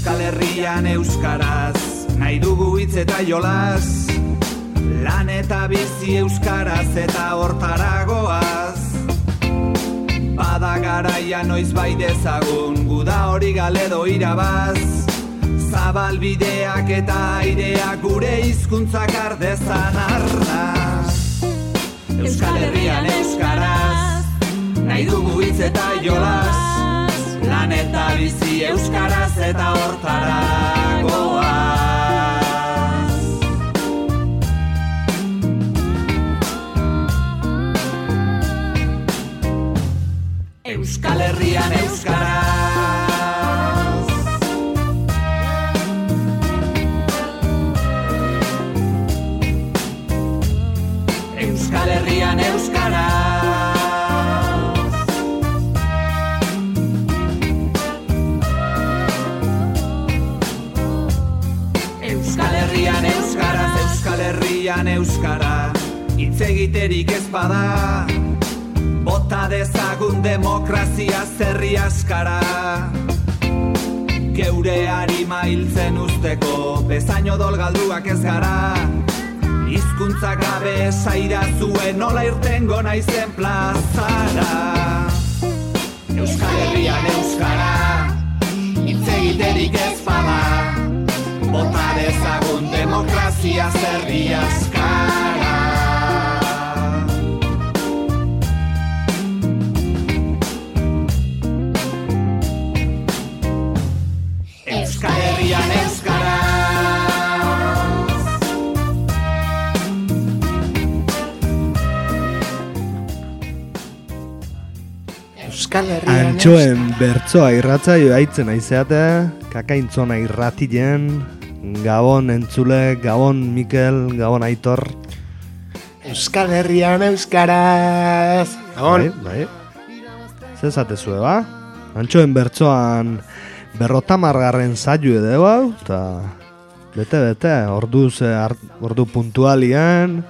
Euskal Herrian euskaraz, nahi dugu hitz eta jolas, lan eta bizi euskaraz eta hortaragoaz. Bada garaia noiz bai dezagun, guda hori galedo irabaz, zabalbideak eta aireak gure hizkuntzak ardezan arnaz. Euskal Herrian euskaraz, nahi dugu hitz eta jolas, lan eta bizi euskaraz eta hortaragoaz. Euskal Herrian euskaraz. Euskal Herrian euskaraz. Euskal Herrian euskaraz, Euskal Herrian euskara, hitz egiterik ez bada, bota dezagun demokrazia zerri askara. Geure harima hiltzen usteko, bezain odol galduak ez gara, hizkuntza gabe esaira zuen nola irtengo naizen plazara. Euskal Herrian euskara, hitz egiterik ez bada, bota dezagun demokrazia zerri askara. Euskal Herrian euskaraz. Euskal Herrian Antxoen bertsoa irratzaio haitzen aizeate, kakaintzona irratien, Gabon entzule, Gabon Mikel, Gabon Aitor. Euskal Herrian euskaraz. Gabon. Bai. Zezatezue, ba? Antxoen bertsoan 50. saio edo hau, eta bete, ordu puntualian,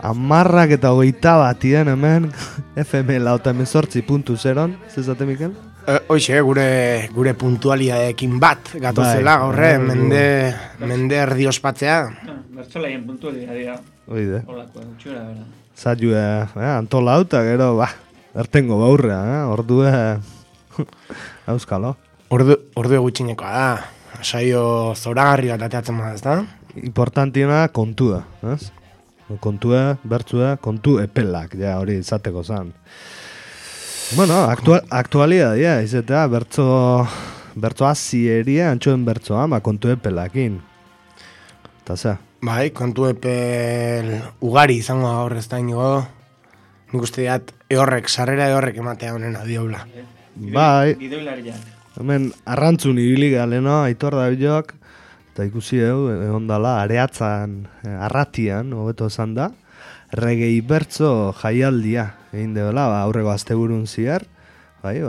10 eta 21 hemen, FM lauta 18.0, zezate, Mikel? Hoxe, gure puntualiadekin bat gatozela, horre, mende erdi ospatzea. Bertzolaien puntualidadea. Oide. Olako, utxura, bera. Saioa, antola hauta, gero, ertengo baurrea, ordue, auskalo. Ordu gutxinekoa da. Saio zoragarri bat ateatzen bada, ez da? Importantiena kontua, ez? Kontua, bertzua, kontu epelak, ja, hori izateko zan. Bueno, aktualidadea, izatea, bertzo azieria, antxoen bertzoa, kontu epelakin. Eta ze? Bai, kontu epel ugari izango da horrez da inigo. Nik uste diat, sarrera eorrek ematea honena dioula. Bai. Gidoilariak. Hemen arrantzun ibili galeno, Aitor Dabilok, eta ikusi egon dala, areatzan, arratian, hobeto esan da, regei bertzo jaialdia, egin dela, aurreko asteburun ziar, bai,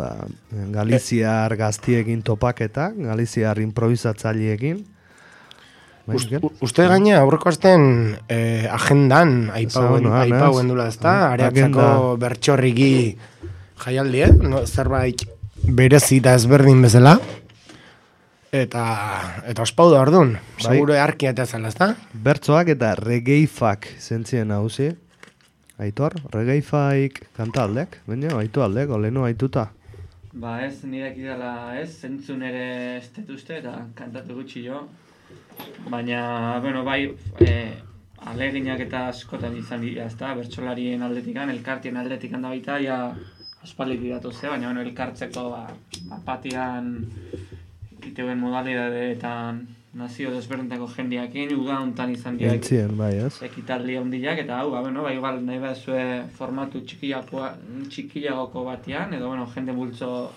Galiziar gaztiekin topaketak, Galiziar improvisatzaileekin. Uste gaina aurreko asten agendan aipauen dula ezta, areatzako bertxorriki jaialdi, zerbait berezi eta ezberdin bezala, eta ospau da orduan, seguro arkia eta zela, ezta? Bertzoak eta regeifak zentzien hauzi, Aitor, regeifaik kantaldek, baina aitu aldek, oleno aituta. Ba ez, nirek idala ez, zentzun ere ez detuzte eta kantatu gutxi jo. Baina, bueno, bai, aleginak eta askotan izan dira, ezta, bertsolarien aldetikan, elkartien aldetikan da baita, ja, aspaldik datu ze, baina, bueno, elkartzeko, apatian, iteuen modalidadeetan, nazio desberdintako jendiakin, uda hontan izan dira. Entzien, bai, ez? Ekitaldi handiak, eta hau, bueno, bai, igual nahi bazue formatu txikilagoko batean, edo, bueno, jende bultzo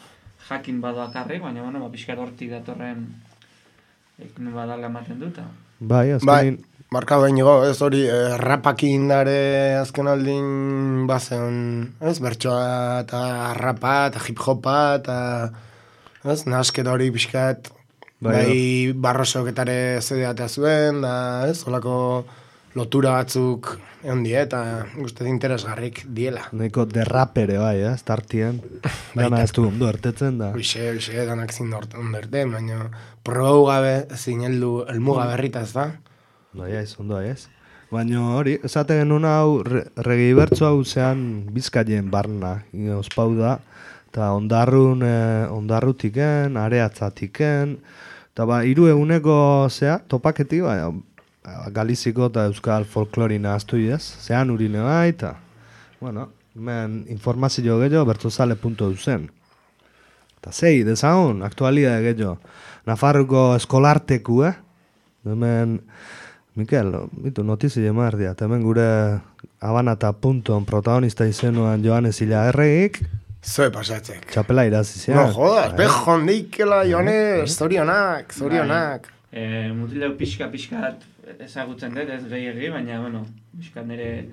jakin badoakarrik, baina, bueno, pixkat hortik datorren ekin badala ematen duta. Bai, azkenin... Marka behin ez hori, rapakin dare azken aldin bazen, ez, bertsoa eta rapa eta hip-hopa eta, ez, nasketa hori pixkat, bai, barrosoketare zedeatea zuen, da, ez, holako lotura batzuk egon die, eta guztet interesgarrik diela. Neko derrapere bai, startien. Dana ez du ondo ertetzen da. Uixe, danak zin ondo erte, baina probau gabe zin elmuga berritaz da. Bai, ondo ez. Baina hori, esaten genuen hau, Reggae Bertso hau zean Bizkaien barna, ospau da, eta ondarrutiken, areatzatiken, eta hiru eguneko topaketi, Galiziko eta Euskal folklorina astu idez, zean urine bai, eta, bueno, hemen informazio gehiago bertzozale.eusen. Eta zei, dezagun, aktualidade gehiago, Nafarroko eskolarteku, hemen, Mikel, notizi jemar dia, hemen gure Abanata.on protagonista izenuan Joanes Ilagerregik, Zoe pasatzek. Txapela irazizian. No jodas, bejon deikela, Joanes, zorionak. Mutileu pixka ezagutzen dut, ez gehiagi, baina, pixka nire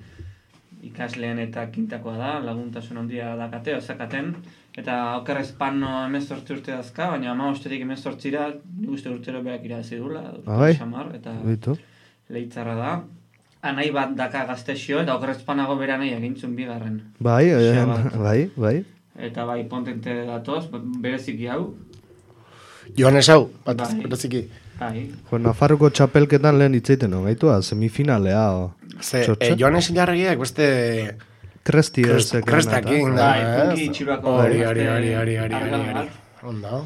ikasleen eta kintakoa da, laguntasun handia dakate, ozakaten, eta okerrez pano 18 urte dazka, baina 15-tik 18-ra, nik uste urtero beak irazi dula, eta leitzarra da. Anai bat daka gaztexio, eta okerrez panago bera nahi egintzun bigarren. Bai. Eta bai, pontente datoz, bereziki hau. Joanes hau, bereziki. Bai. Nafarroko txapelketan lehen hitzeiten gaitua, semifinalea. Joanes Ilarregiak beste... Krestakin da. Punki itxurako... Hori. Onda.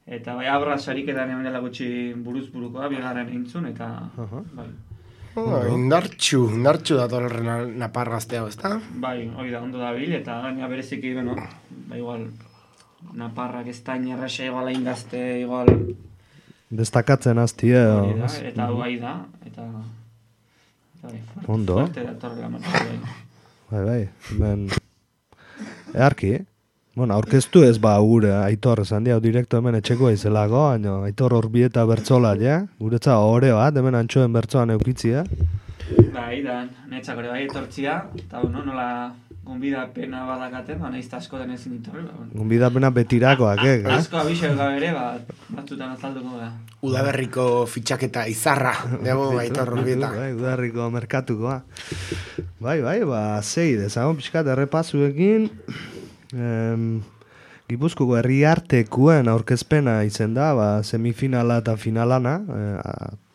Eta bai, abra sariketan hemen dela gutxi buruz-burukoa, bigarren eintzun, eta... bai. Indartxu dator horren napar gaztea, ezta? Bai, hori da, ondo da bil, eta gaina bereziki, igual, naparrak ez da inerresa, igual hain gazte, igual... Destakatzen azti, eta hau bai da, eta... Ondo. Fuerte datorrela martxu, bai, earki, aurkeztu ez gure Aitor, esan dia, direkto hemen etxeko izelago, baina Aitor Orbieta bertzola, guretza hore bat, hemen antxoen bertzoan eukitzia. Bai, da, netzak hori bai etortzia, eta nola gonbidapena badakaten, nahizta asko den ezin ditorri. Gonbidapena betirakoak, Asko abixek gabere, batzutan azalduko da. Udaberriko fitxaketa izarra, dugu Aitor Orbieta. Bai, Udaberriko merkatukoa. Bai, zei, dezagon pixkat errepazuekin, Gipuzkoko herriartekuen aurkezpena izen da, semifinala eta finalana,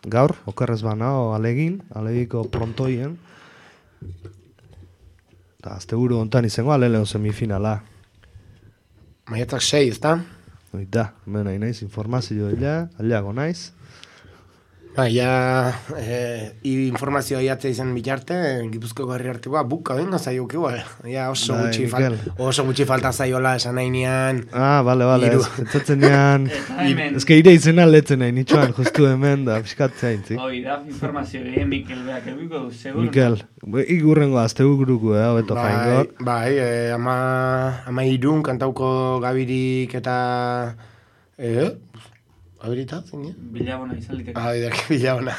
gaur, okerrez banao alegiko prontoien. Eta azteguru ontan izango aleleo semifinala. Maiatzak 6, ezta? Oita, hemen nahi naiz, informazio aliago naiz. Informazioa iatzea izan bitarte, Gipuzkoko herriartekoa buka bengo zaiuk igual. Oso gutxi falta zaiola esan nahi nian. Bale, etzatzen nian. Ez que ire izena letzen nahi nitxoan, justu hemen da, piskatzea intzik. Hoi da, informazio gehien Mikel beak ebiko, segur. Mikel, igurrengo aztegu guruko, beto jaingok. Bai, ama irun kantauko gabirik eta... Abirita, zine? Bilabona izan liteke. Bilabona.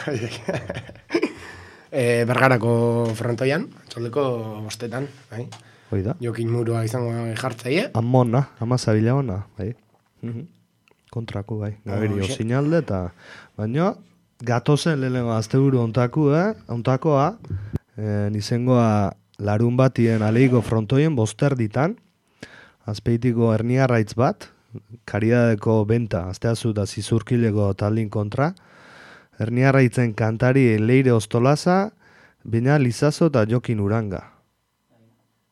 Bergarako frontoian, txoldeko bostetan, bai. Hoida. Jokin murua izango jartzaie. Amona, amaza bilabona, bai. Kontrako, bai. Gabiri osinalde eta... Baina, gatozen lehenengo azteburu ontakoa, nizengoa larun batien aleiko frontoien boster ditan, azpeitiko herniarraitz bat, Karidadeko benta, azteazu da zizurkileko taldin kontra, herniarraitzen kantari Leire Ostolaza, Bina Lizazo eta Jokin Uranga.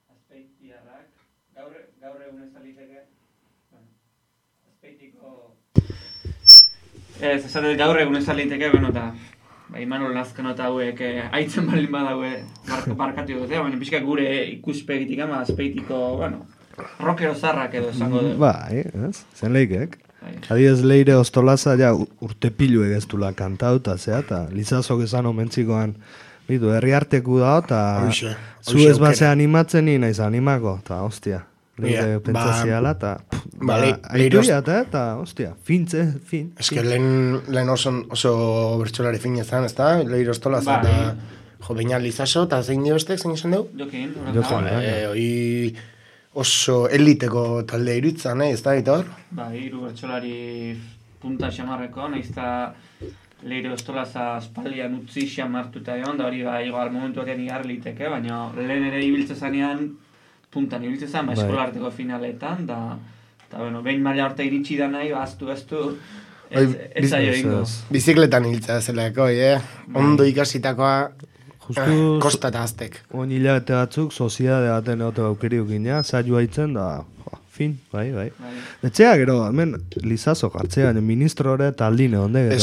Azpeitiarrak, gaur egun ez aliteke, azpeitiko... Ez, esatet gaur egun ez aliteke, eta Imanol Lazkano eta hauek haitzen balin badaue barkatu dute, baina pixka gure ikuspegitik ama azpeitiko, rockero zarrak edo esango dugu. Bai, zen leikek. Adidez Leire Ostolaza urte pilu egeztula kantauta, eta Lizazok esan omentzikoan herriarteku da, eta zu ez base animatzen nina izan animako, eta hostia. Leire pentsaziala, eta eta hostia, fin. Ez que lehen oso bertxolari fin ezan, ez da? Leire Ostolaza eta Bina Lizazo, eta zein dio bestek, zein izan dugu? Jokin. Oso eliteko talde irutzen, ez da, Aitor? Hiru bertsolari punta xamarreko, nahizta leire ostolaza aspaldian utzi xamartuta egon, da hori bai, igual momentu horrean igar liteke, baina lehen ere ibiltze zanean, puntan ibiltze zan, eskolarteko finaletan, eta bueno, behin maila horta iritsi da nahi, aztu, ez zaio ingo. Bizikletan hiltza zelako, ondo ikasitakoa kostata aztek. Oin hilabete batzuk, soziedade baten egote aukeriuk gina, zailua hitzen da, fin, bai. Etxea gero, hemen Lizazo jartzea, ministro hori eta aldine onde,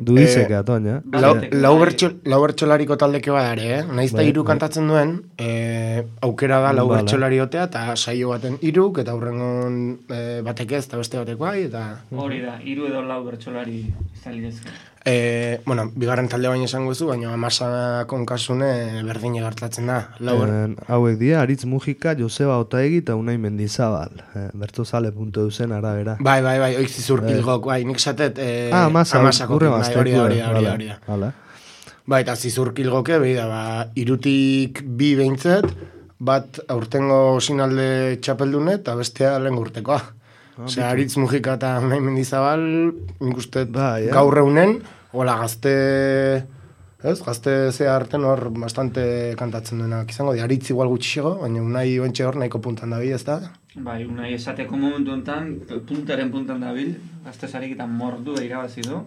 dudizeke atoin, Lau bertxolariko taldeke badare, nahiz da hiru kantatzen duen, aukera da lau bertxolari otea, eta saio baten hiruk, eta hurrengon batek ez, eta beste batek bai, eta... Hori da, hiru edo lau bertxolari izan lidezke. Bueno, bigarren talde baina esango zu, baina Amasa konkasune berdine gertatzen da. Hauek dira, Aritz Mujika, Joseba Otaegi eta Unai Mendizabal. Bertzozale.eu zen arabera. Bai, oik zizurkilgok, bai, nik esatet Amasa hori da. Bai, eta zizurkilgoke, irutik bi behintzet, bat aurtengo sinalde txapeldune eta bestea lehen urtekoa. Osea, Aritz Mujika eta Unai Mendizabal, nik uste gaur eunen, hola gazte ze harten hor bastante kantatzen duenak izango, Aritz igual gutxixego, baina Unai oentxe hor nahiko puntan dabil, ez da? Bai, Unai esateko momentu enten, puntan dabil, gazte zariketan mordu da irabazi du,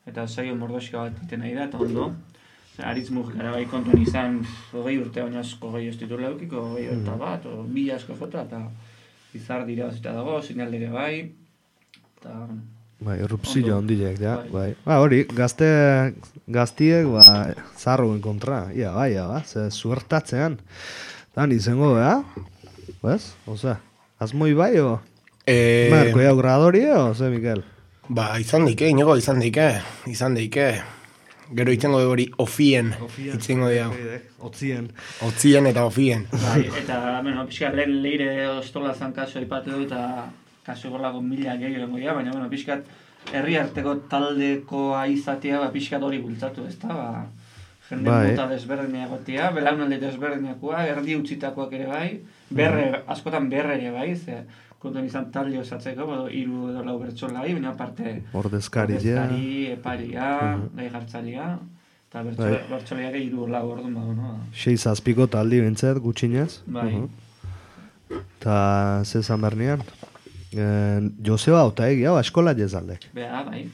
eta saio mordoxka bat iten nahi da, eta ondo. Aritz Mujikara bai kontun izan, 20 urte baina asko gehi ez ditu leukiko, 20 bat, o 1000 asko jota, eta izar dira bazita dago, sinaldere bai, eta... Bai, errupzio ondilek, bai. Hori, gaztiek, zarroen kontra, bai, ze suertatzean. Dan izango, bez? Osea, azmoi bai, o? Marko jau gradori, o, ze, Mikel? Ba, izan deike, inigo, izan deike. Gero izango de hori ofien, itzingo dira. Otzien eta ofien. Bai, eta, bueno, pixka lehen leire ostolazan kaso aipatu du, eta kaso egolako 1000 gehiago dira, baina, bueno, pixkat herri arteko taldekoa izatea, pixkat hori bultzatu, ez da, jende mota desberdineagotia, belaunalde desberdineakoa, erdi utzitakoak ere bai, askotan berre ere bai, ze konton izan talde osatzeko, 3 edo 4 bertsolari, baina aparte ordezkari, eparia, gai jartzailea, eta bertsolariak 3 4 orduan badu, no? 6-7 taldi bintzet, gutxinez. Bai. Eta zezan bernian? Joseba Otaegi, hau, eskola jezaldek. Bai.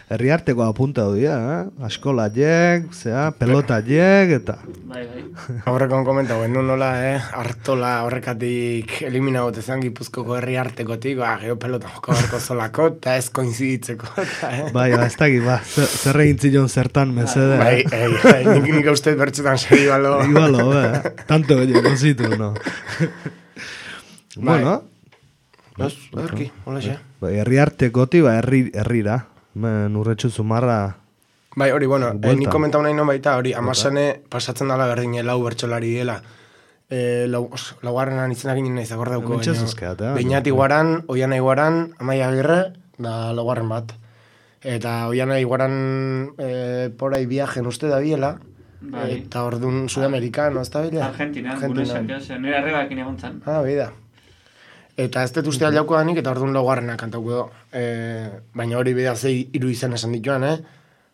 Herri arteko apunta du dira, eskola jek, pelota jek, eta... Bai. Horrekon komentau, nola, Artola horrekatik eliminagot ezan Gipuzkoko herri artekotik, gero pelota joko barko zolako, eta ez koinziditzeko. Bai, ez dakit, zer egin zilon zertan mesede. Bai, nik uste bertxetan segi balo. Igualo, tanto gehiago zitu, no? Bueno, Erki, hola xe. Herri artekoti, herrira. Urretxu zumarra... Bai, hori, bueno, nik komentau nahi non baita, hori, Amasane pasatzen dala berdine lau bertsolari dela. Laugarrenan izenak inin nahi zakor dauko. Beñat Iguaran, Oiana Iguaran, Amaia Agirre, da laugarren bat. Eta Oiana Iguaran porai viajen uste da biela, eta orduan Sudamerikan, ez da bila? Argentina, nire arrebakin egon zan. Bida. Eta ez dut uste aldauko danik, eta orduan laugarrena kantauko do. Baina hori bida zei 3 izan esan dituan,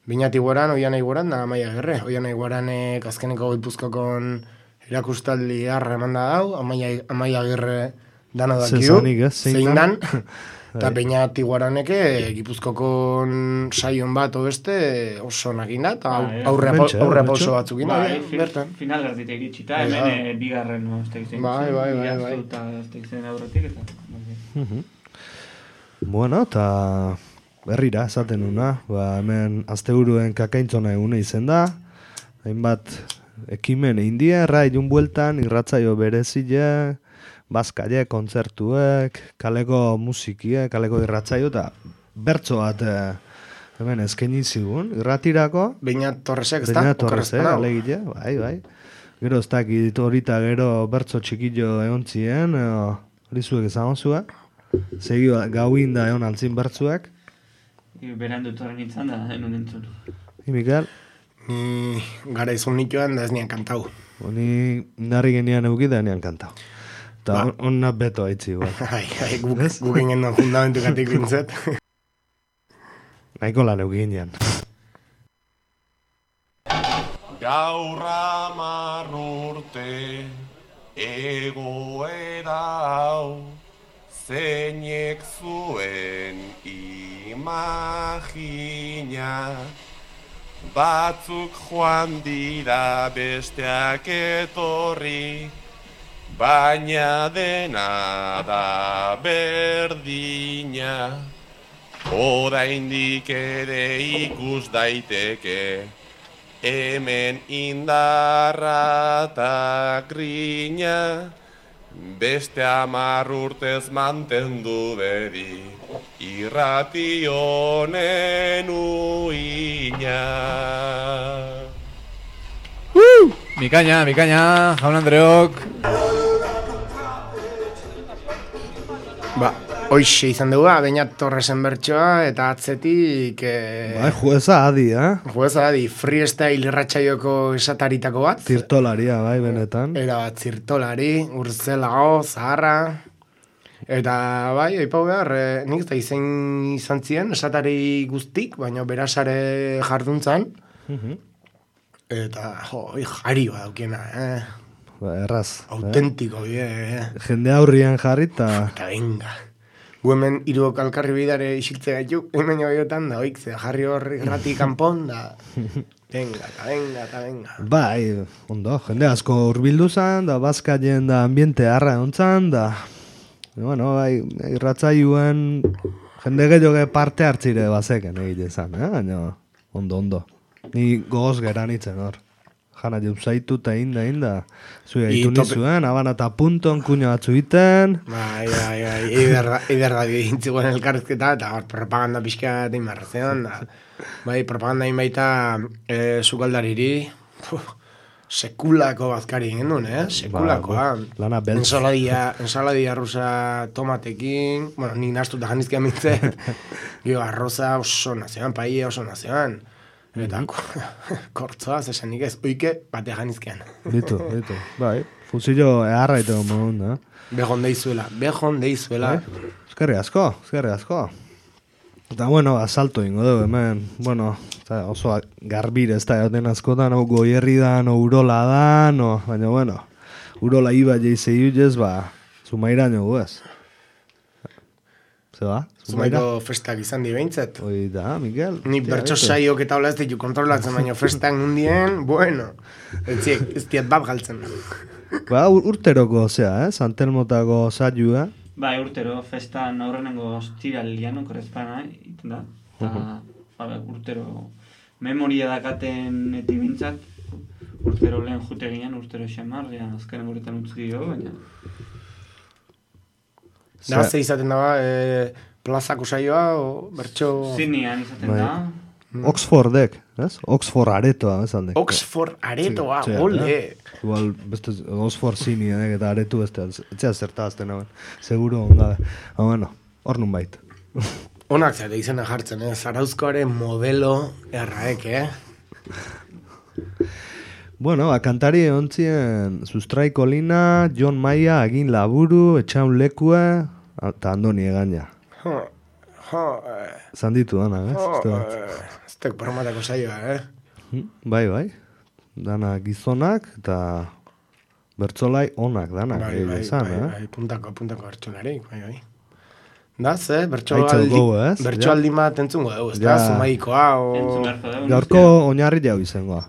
Beñat Iguaran, Oiana Iguaran, da Amaia Agirre. Oiana Iguaranek azkeneko Gipuzkokon erakustaldi harra eman da dau, Amaia Agirre dana dakiu, zein dan. Eta Beñat Iguaraneke Gipuzkokon saion bat beste oso nakin da, eta aurre pauso batzuk inda. Bertan. Final erditek itxita, hemen bigarren estek zen. Bai. Eta estek zen aurretik, eta... Bueno, eta... Herrira, esaten una, hemen asteburuen kakaintzona egune izen da, hainbat ekimen india, errailun bueltan, irratzaio berezile, bazkaile, kontzertuek, kaleko musikie, kaleko irratzaio, eta bertso bat hemen eskaini zigun, irratirako. Beñat Torresek, ez da? Beñat Torresek, alegile, bai. Gero ez dakit horita gero bertso txikillo egon zien, hori zuek ezagon zuen, segi gauin da egon altzin bertzuek. Berandu torren nintzen da, enun entzun. Mikel? Ni gara izun nituen da ez nian kantau. Ni narri genian euki da nian kantau. Eta onna beto haitzi. Guk ingen fundamentu katik bintzet. nahiko lan euginean. Gaur 10 urte egoera hau zeinek zuen imagina. Batzuk joan dira besteak etorri, baina dena da berdina. Oraindik ere ikus daiteke hemen indarra eta grina. Beste 10 urtez mantendu bedi irrati honen uina. Bikaina, jaun Andreok. Hoixe izan dugu, Beñat Torresen bertsoa, eta atzetik... Jueza adi, Jueza adi, freestyle irratxaioko esataritako bat. Zirtolaria, bai, benetan. Era bat, zirtolari, urzelago, zaharra. Eta, bai, aipau behar, nik eta izan ziren, esatari guztik, baina berasare jarduntzan. Eta, jari bat daukena, Erraz. Autentiko, Jende aurrian jarri eta venga. Gu hemen hiruok alkarri bidare isiltze gaitu, hemen joiotan da, oik, jarri horri grati kanpon, da, venga. Bai, ondo, jende asko urbildu zan, da, bazkaien da ambiente harra ontzan, da, bueno, bai, irratzaioen jende gehiago parte hartzire bazeken egite zan, baina, ondo. Ni gogoz geran itzen hor. Jana jauzaitu eta inda, zuia ditu nizuen, abana eta punton, kuño batzu iten. Bai, eider da dintziguen elkarrezketa, eta propaganda pixka eta inmarrazean, da. Bai, propaganda inbaita sukaldariri, sekulako bazkari egin duen, sekulakoa. Lana beltz. Ensaladia rusa tomatekin, bueno, nik nastuta janizkian mintzet, arroza oso nazioan, paia oso nazioan. Eta kortzoa, zesanik ez, oike bate janizkean. Bitu, bai. Fuzillo eharra ito modun, da. Bejon deizuela. Eskerri asko. Eta, bueno, asalto ingo dugu, hemen, bueno, oso garbire ez da, joten askotan, goierri dan, urola dan, baina, bueno, urola iba jeize iuz, zumairaino guez. Zeba? Zumaiko festak izan di behintzat. Hoi da, Mikel. Ni bertso saiok eta hola ez ditu kontrolatzen, baina festak nundien, bueno, ez diat bat galtzen. Urteroko, Santelmotako saioa. Bai, urtero, festan aurrenengo ostiralian okorrezpana, iten da. Eta, urtero, memoria dakaten eti bintzat, urtero lehen jute ginen, urtero xamar, azkaren guretan utzuki jo, baina... Da, ze izaten daba, plazako saioa, bertso... Zinean izaten da. Oxfordek, ez? Oxford aretoa, ez alde. Oxford aretoa, ole! Igual, beste, Oxford zineak eta aretu beste, etxea zertazten hauen. Seguro ongabe. Bueno, hor nun bait. Onak zate izena jartzen, Zarauzkoaren modelo erraek, Bueno, kantari ontzien Sustraiko Lina, John Maia, Agin Laburu, Etxaun Lekue, eta Andoni Egaña. Zanditu dana, ez tek promatako saioa, Bai. Dana gizonak eta bertzolai onak danak. Bai, puntako bertzolarik, bai. Da, bertsoaldi bat entzungo dugu, ez da, Zumaikoa, gaurko oinarri jau izangoa,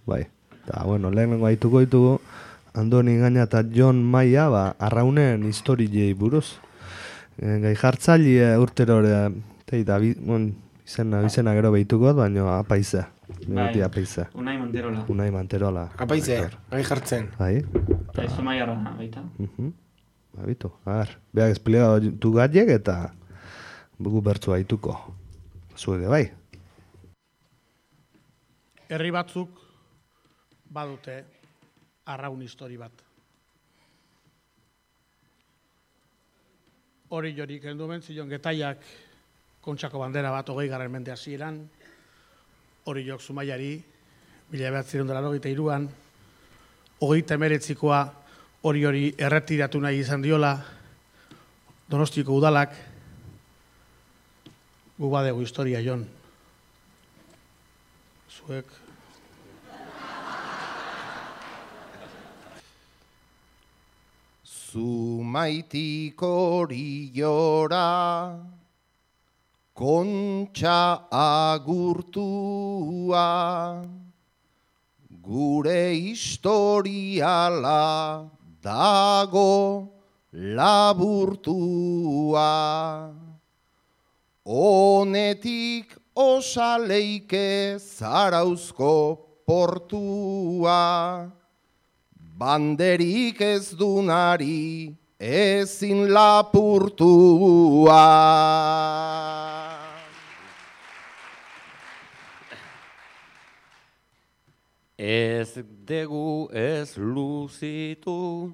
bai. Eta, bueno, lehenengo haituko ditugu, Andoni Egaña eta John Maia, arraunen historiei buruz. Gai jartzaile urtero eta izena gero behituko, baina apaize. Bai, Unai Manterola. Apaize, gai jartzen. Bai. Eta izu maiarra, baita. Bitu, beak esplega du gaiek eta bugu bertzu haituko. Zuege, bai. Herri batzuk badute arraun histori bat. Hori jorik heldu zion Getaiak Kontxako bandera bat 20. mende hasieran, hori jok Zumaiari 1993an, 39koa hori erretiratu nahi izan diola, Donostiko udalak, gu badegu historia jon. zuek. Zumaitik oriora, kontxa agurtua, gure historiala dago laburtua. Honetik osaleike Zarauzko portua, banderik ez dunari ezin lapurtua. Ez degu ez luzitu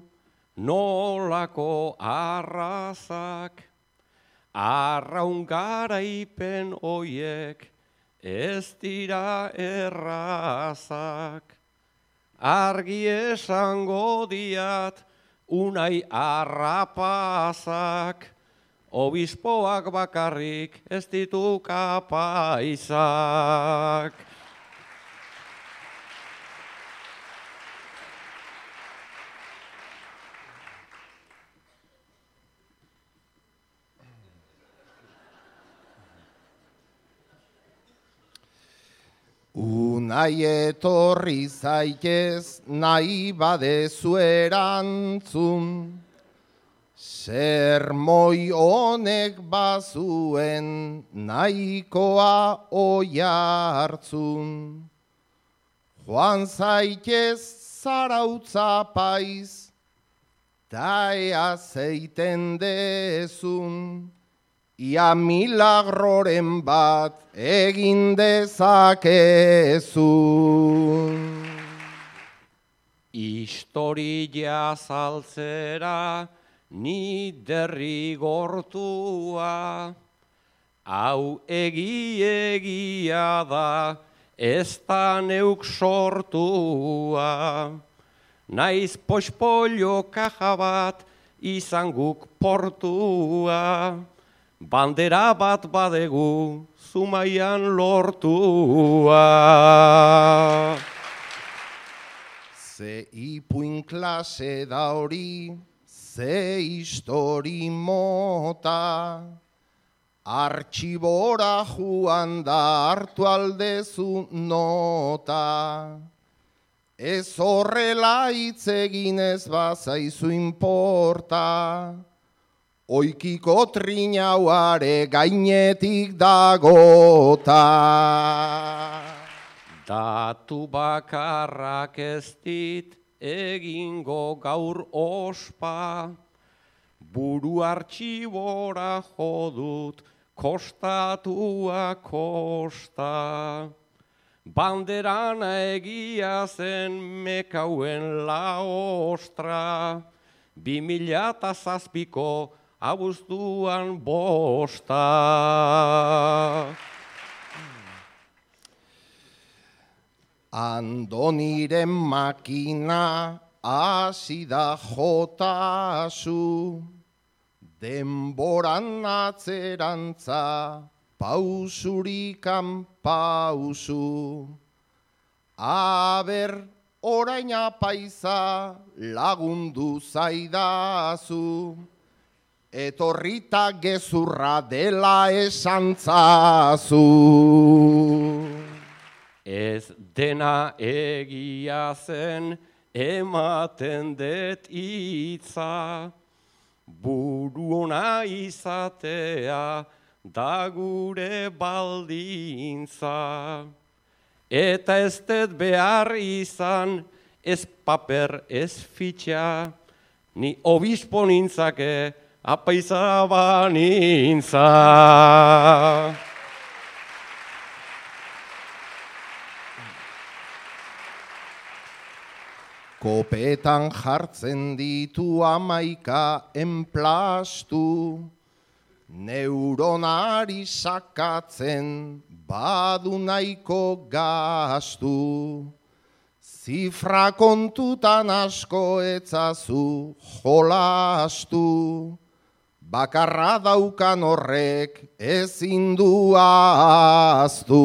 nolako arrazak, arraun garaipen oiek ez dira errazak. Argi esango diat unai arrapazak, obispoak bakarrik ez ditu kapaisak. Unai etorri zaitez nahi badezu erantzun, sermoi honek bazuen nahikoa oihartzun. Joan zaitez Zarautza paiz, ta ea zeiten dezun, ia milagroren bat egin dezakezun. Historia zaltzera ni derrigortua, hau egia da ez da neuk sortua. Naiz poxpollo kaja bat izan guk portua, bandera bat badegu Zumaian lortua. Ze ipuin klase da hori, ze histori mota, artxibora joan da hartu aldezu nota. Ez horrela hitz egin ez bazaizu inporta, oikiko trinauare gainetik dagota. Datu bakarrak ez dit egingo gaur ospa, buru artxibora jodut kostatua kosta. Banderana egia zen mekauen la ostra, 2007ko abuztuan bosta. Andoniren makina hasi da jotazu, denboran atzerantza pausurikan pausu. Aber orain apaiza lagundu zaidazu, etorrita gezurra dela esantzazu. Ez dena egia zen ematen det hitza, buru ona izatea da gure baldintza. Eta ez dut behar izan ez paper ez fitxa, ni obispo nintzake apaiza banintza. Kopetan jartzen ditu 11 enplastu, neuronari sakatzen badu nahiko gastu. Zifra kontutan asko etzazu jolastu, bakarra daukan horrek ezin du ahaztu.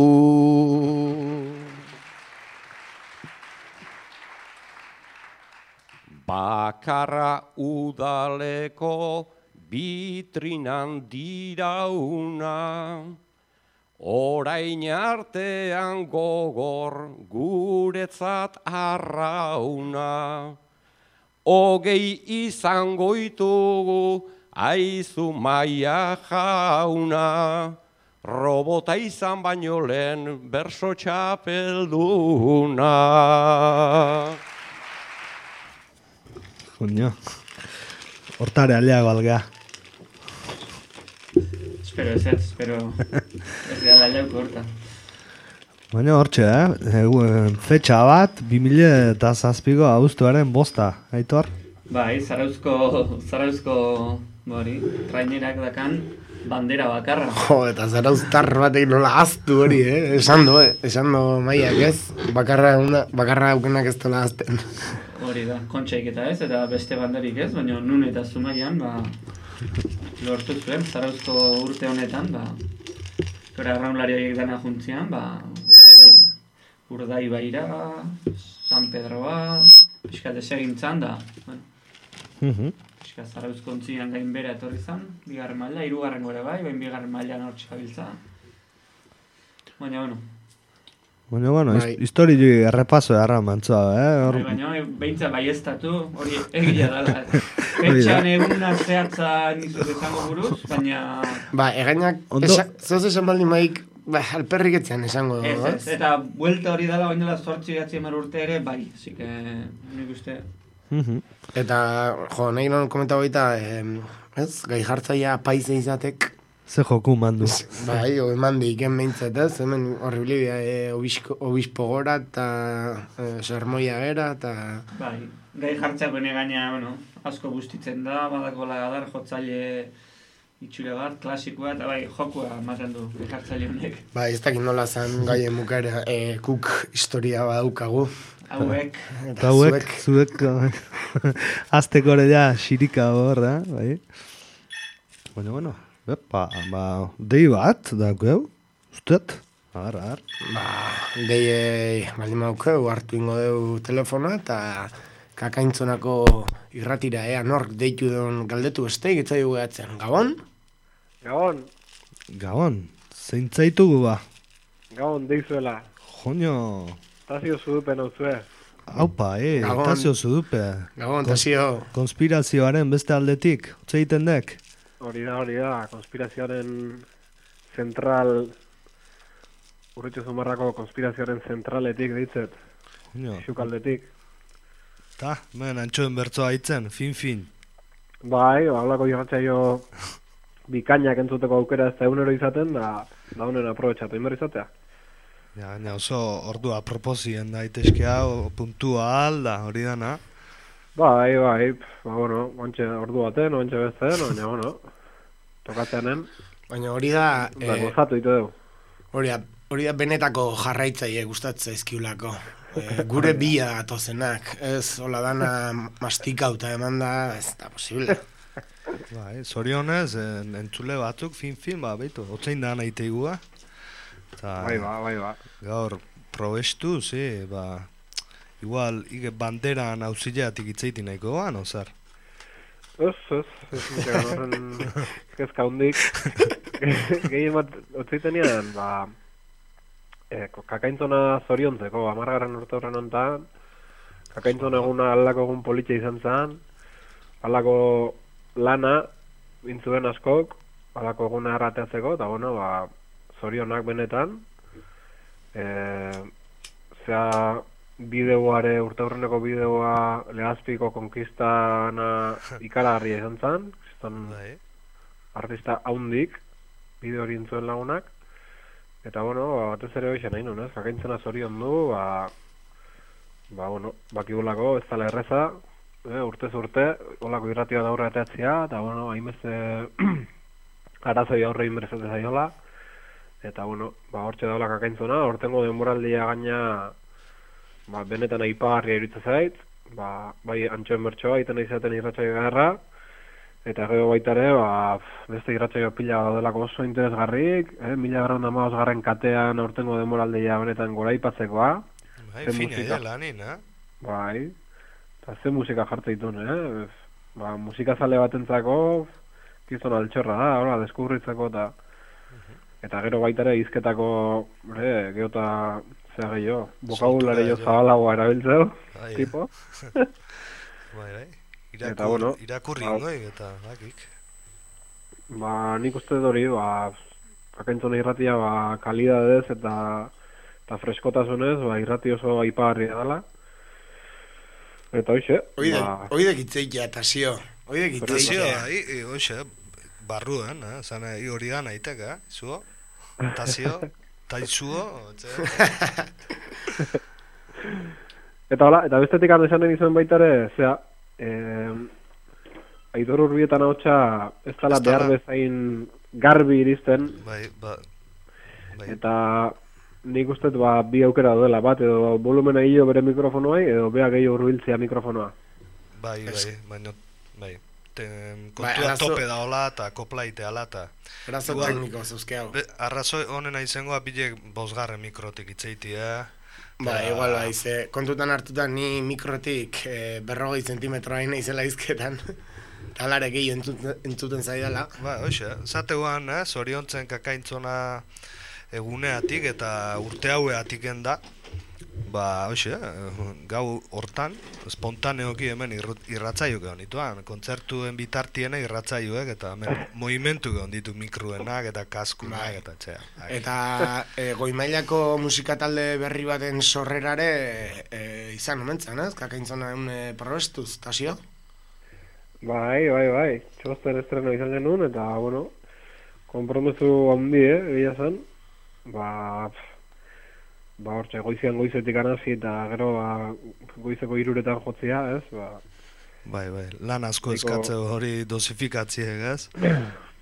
bakarra udaleko bitrinan dirauna, orain artean gogor guretzat arrauna. Hogei izango ditugu aizu Maia jauna, robota izan baino lehen berso txapelduna. Coño. Hortare aliago algea. Espero, ez gara aliauko horta. Baina hortxe, fetxa bat, 2007ko abuztuaren 5, Aitor? Bai, Zarauzko trainerak dakan bandera bakarra. Jo, eta zarauztar batek nola aztu hori, esan do Maiak ez, bakarra aukenak ez dola azten. Hori da, kontxaik eta ez, eta beste banderik ez, baina nun eta Zumaian, lortu zuen, Zarauzko urte honetan, gora arraunlariak dana juntzian, Urdaibaira, San Pedroa, pixkat esegintzan da, pixkat Zarauzko ontzian gainbera etorri zan, 2. maila, 3. gore bai, bain 2. mailan hor txabiltza. Baina, Bueno, histori errepaso erra mantzoa, Baina, behintza baiestatu, hori egia dala. Petxan eguna zehatza nizuz esango buruz, baina... Egainak, zoz esan baldin maik, alperrik etzean esango. Ez, eta buelta hori dala, baina 8 urte ere, bai, zike, nik uste... Eta, nahi non komenta baita, gai jartzaia paize izatek, ze joku mandu. Bai, mandi iken behintzat ez, hemen horriblibia obispo gora eta sermoia gera eta... Bai, gai jartzako gaina, asko bustitzen da, badakola adar jotzaile itxure bat, klasikoa, eta bai, jokua ematen du gai jartzaile honek. Bai, ez dakit nola zan gaien mukara kuk historia badaukagu. Hauek. Eta hauek, zuek, azteko ere ja xirika hor, bai. Bueno. Epa, dei bat, daukeu, ustet? Ar. Dei, baldin daukeu, hartu ingo deu telefonoa, eta kakaintzonako irratira, nork deitu den galdetu beste, gitzai dugu eatzen. Gabon? Gabon, zeintzaitugu ba? Gabon, deizuela. Joño. Tazio zudupen hau zue. Haupa, Tazio zudupe. Gabon, Tazio. Konspirazioaren beste aldetik, utze egiten dek? Hori da, konspirazioaren zentral, urritxo zumarrako konspirazioaren zentraletik ditzet, xukaldetik. Ta, antxoen bertzoa hitzen, fin. Bai, hablako irratxaio bikainak entzuteko aukera ez da egunero izaten, da honen aprobetxatu inber izatea. Ja, oso ordua proposien daitezkea, puntual da, hori dana. Bai, ontxe ordu baten, ontxe bestean, baina, tokatzeanen. Baina hori da... gozatu ditu dugu. Hori da benetako jarraitzaile gustatzen zaizkiulako. Gure bila atozenak, ez, hola dana mastikauta eman da, ez da posible. Bai, zorionez, entzule batzuk, fin, behitu, otzein da nahi teigua. Bai. Gaur, probestu, igual, banderan hauzileatik itzeiti nahiko goan, ozar? Ez, kezka hundik. Gehien bat, otzeitenean, kakaintzona zoriontzeko, 10. urte horren ontan, kakaintzona eguna aldako egun politxe izan zen, aldako lana, bintzuen askok, aldako eguna errateatzeko, eta zorionak benetan, bideoare, urte horreneko bideoa Legazpiko konkistana ikaragarria izan zen, artista haundik, bideo hori intzuen lagunak, eta batez ere hoxe nahi nun, kakaintzena zorion du, bakigulako ez dala erreza, urtez urte, olako irratia da aurre ateatzea, eta hainbeste arazoi aurre inberezate zaiola, eta hortxe daula kakaintzona, hortengo denboraldia gaina benetan aipagarria iritza zait, bai antxoen bertsoa, iten izaten irratsaio garra, eta gero baita ere, beste irratsaio pila daudelako oso interesgarrik, 1915 katean aurtengo denboraldia benetan gora aipatzekoa. Bai, fina dela, nina. Bai, Eta ze musika jartzen dituen, Ba, musikazale batentzako gizon altxorra da, ora, deskubritzeko eta gero baita ere izketako, geota zea gehiago, bokabulare jo zabalagoa erabiltzeo, tipo. Bai, Eta, bueno, irakurri ingoi eta bakik. Ba, nik uste hori, akaintzona irratia, kalidadez eta freskotasunez, irrati oso aipagarria dela. Eta hoxe. Oidek itzeikia, Tasio. Oidek itzeikia. Hoxe, barruen, zan hori da naiteka, zuo? Tasio, taizuo, Eta hola, eta bestetik esan nahi izan baita ere, zera, Aitor Urbietan ahotsa ez dela behar bezain garbi iristen. Bai. Eta nik uste bi aukera duela, bat edo volumena hilo bere mikrofonoai, edo bea gehiago urbiltzea mikrofonoa. Bai, baina, kontua tope da hola eta koplaite ala eta... Arazo tekniko zuzkeago. Arrazoi honena izangoa bilek bosgarren mikrotik itzeiti, Ba, igual baize, kontutan hartuta ni mikrotik 40 zentimetroa izela izketan. Talare gehiago entzuten zaidala. Ba, hoxe, zateuan, zoriontzen kakaintzona eguneatik eta urte haueatik da. Ba, hoxe, gau hortan, spontaneoki hemen irratzaiuk egon dituan. Kontzertuen bitartiena irratzaiuek eta movimentu egon ditu mikruenak eta kaskunak eta txea. Eta goimailako musikatalde berri baten sorrerare izan omentzen, ez? Kakaintzona probestuz, Tasio? Bai. Txosten estreno izan genuen eta, bueno, konpromesu handi, egia zen. Hortxe, goizetik anazi eta gero goizeko 3 jotzia, ez? Bai, lan asko eskatzeo hori dosifikatziek, ez?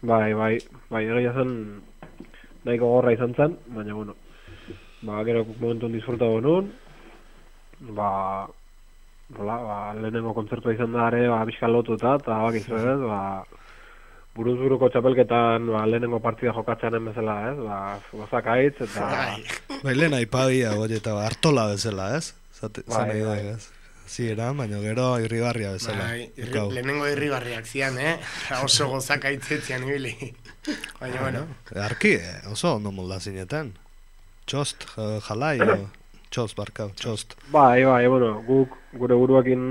Bai, egia zen nahiko gorra izan zen, baina, bueno, gero momentu disfrutago nuen, lehenengo kontzertua izan da ere, bizkal lotuta, eta bakizu, ez? Buruz-buruko txapelketan lehenengo partida jokatzeanen bezala, ez? Gozak aitz, eta... Bai, lehen aipagia, eta hartola bezala, ez? Zan da, ez? Zieran, baina gero irribarria bezala. Lehenengo irribarriak zian, oso gozak aitzetzian ibili. Baina, bueno. Arki, oso ondo molda zineten. Txost, jalai, txost, barkau, txost. Bai, bueno, guk gure buruakin,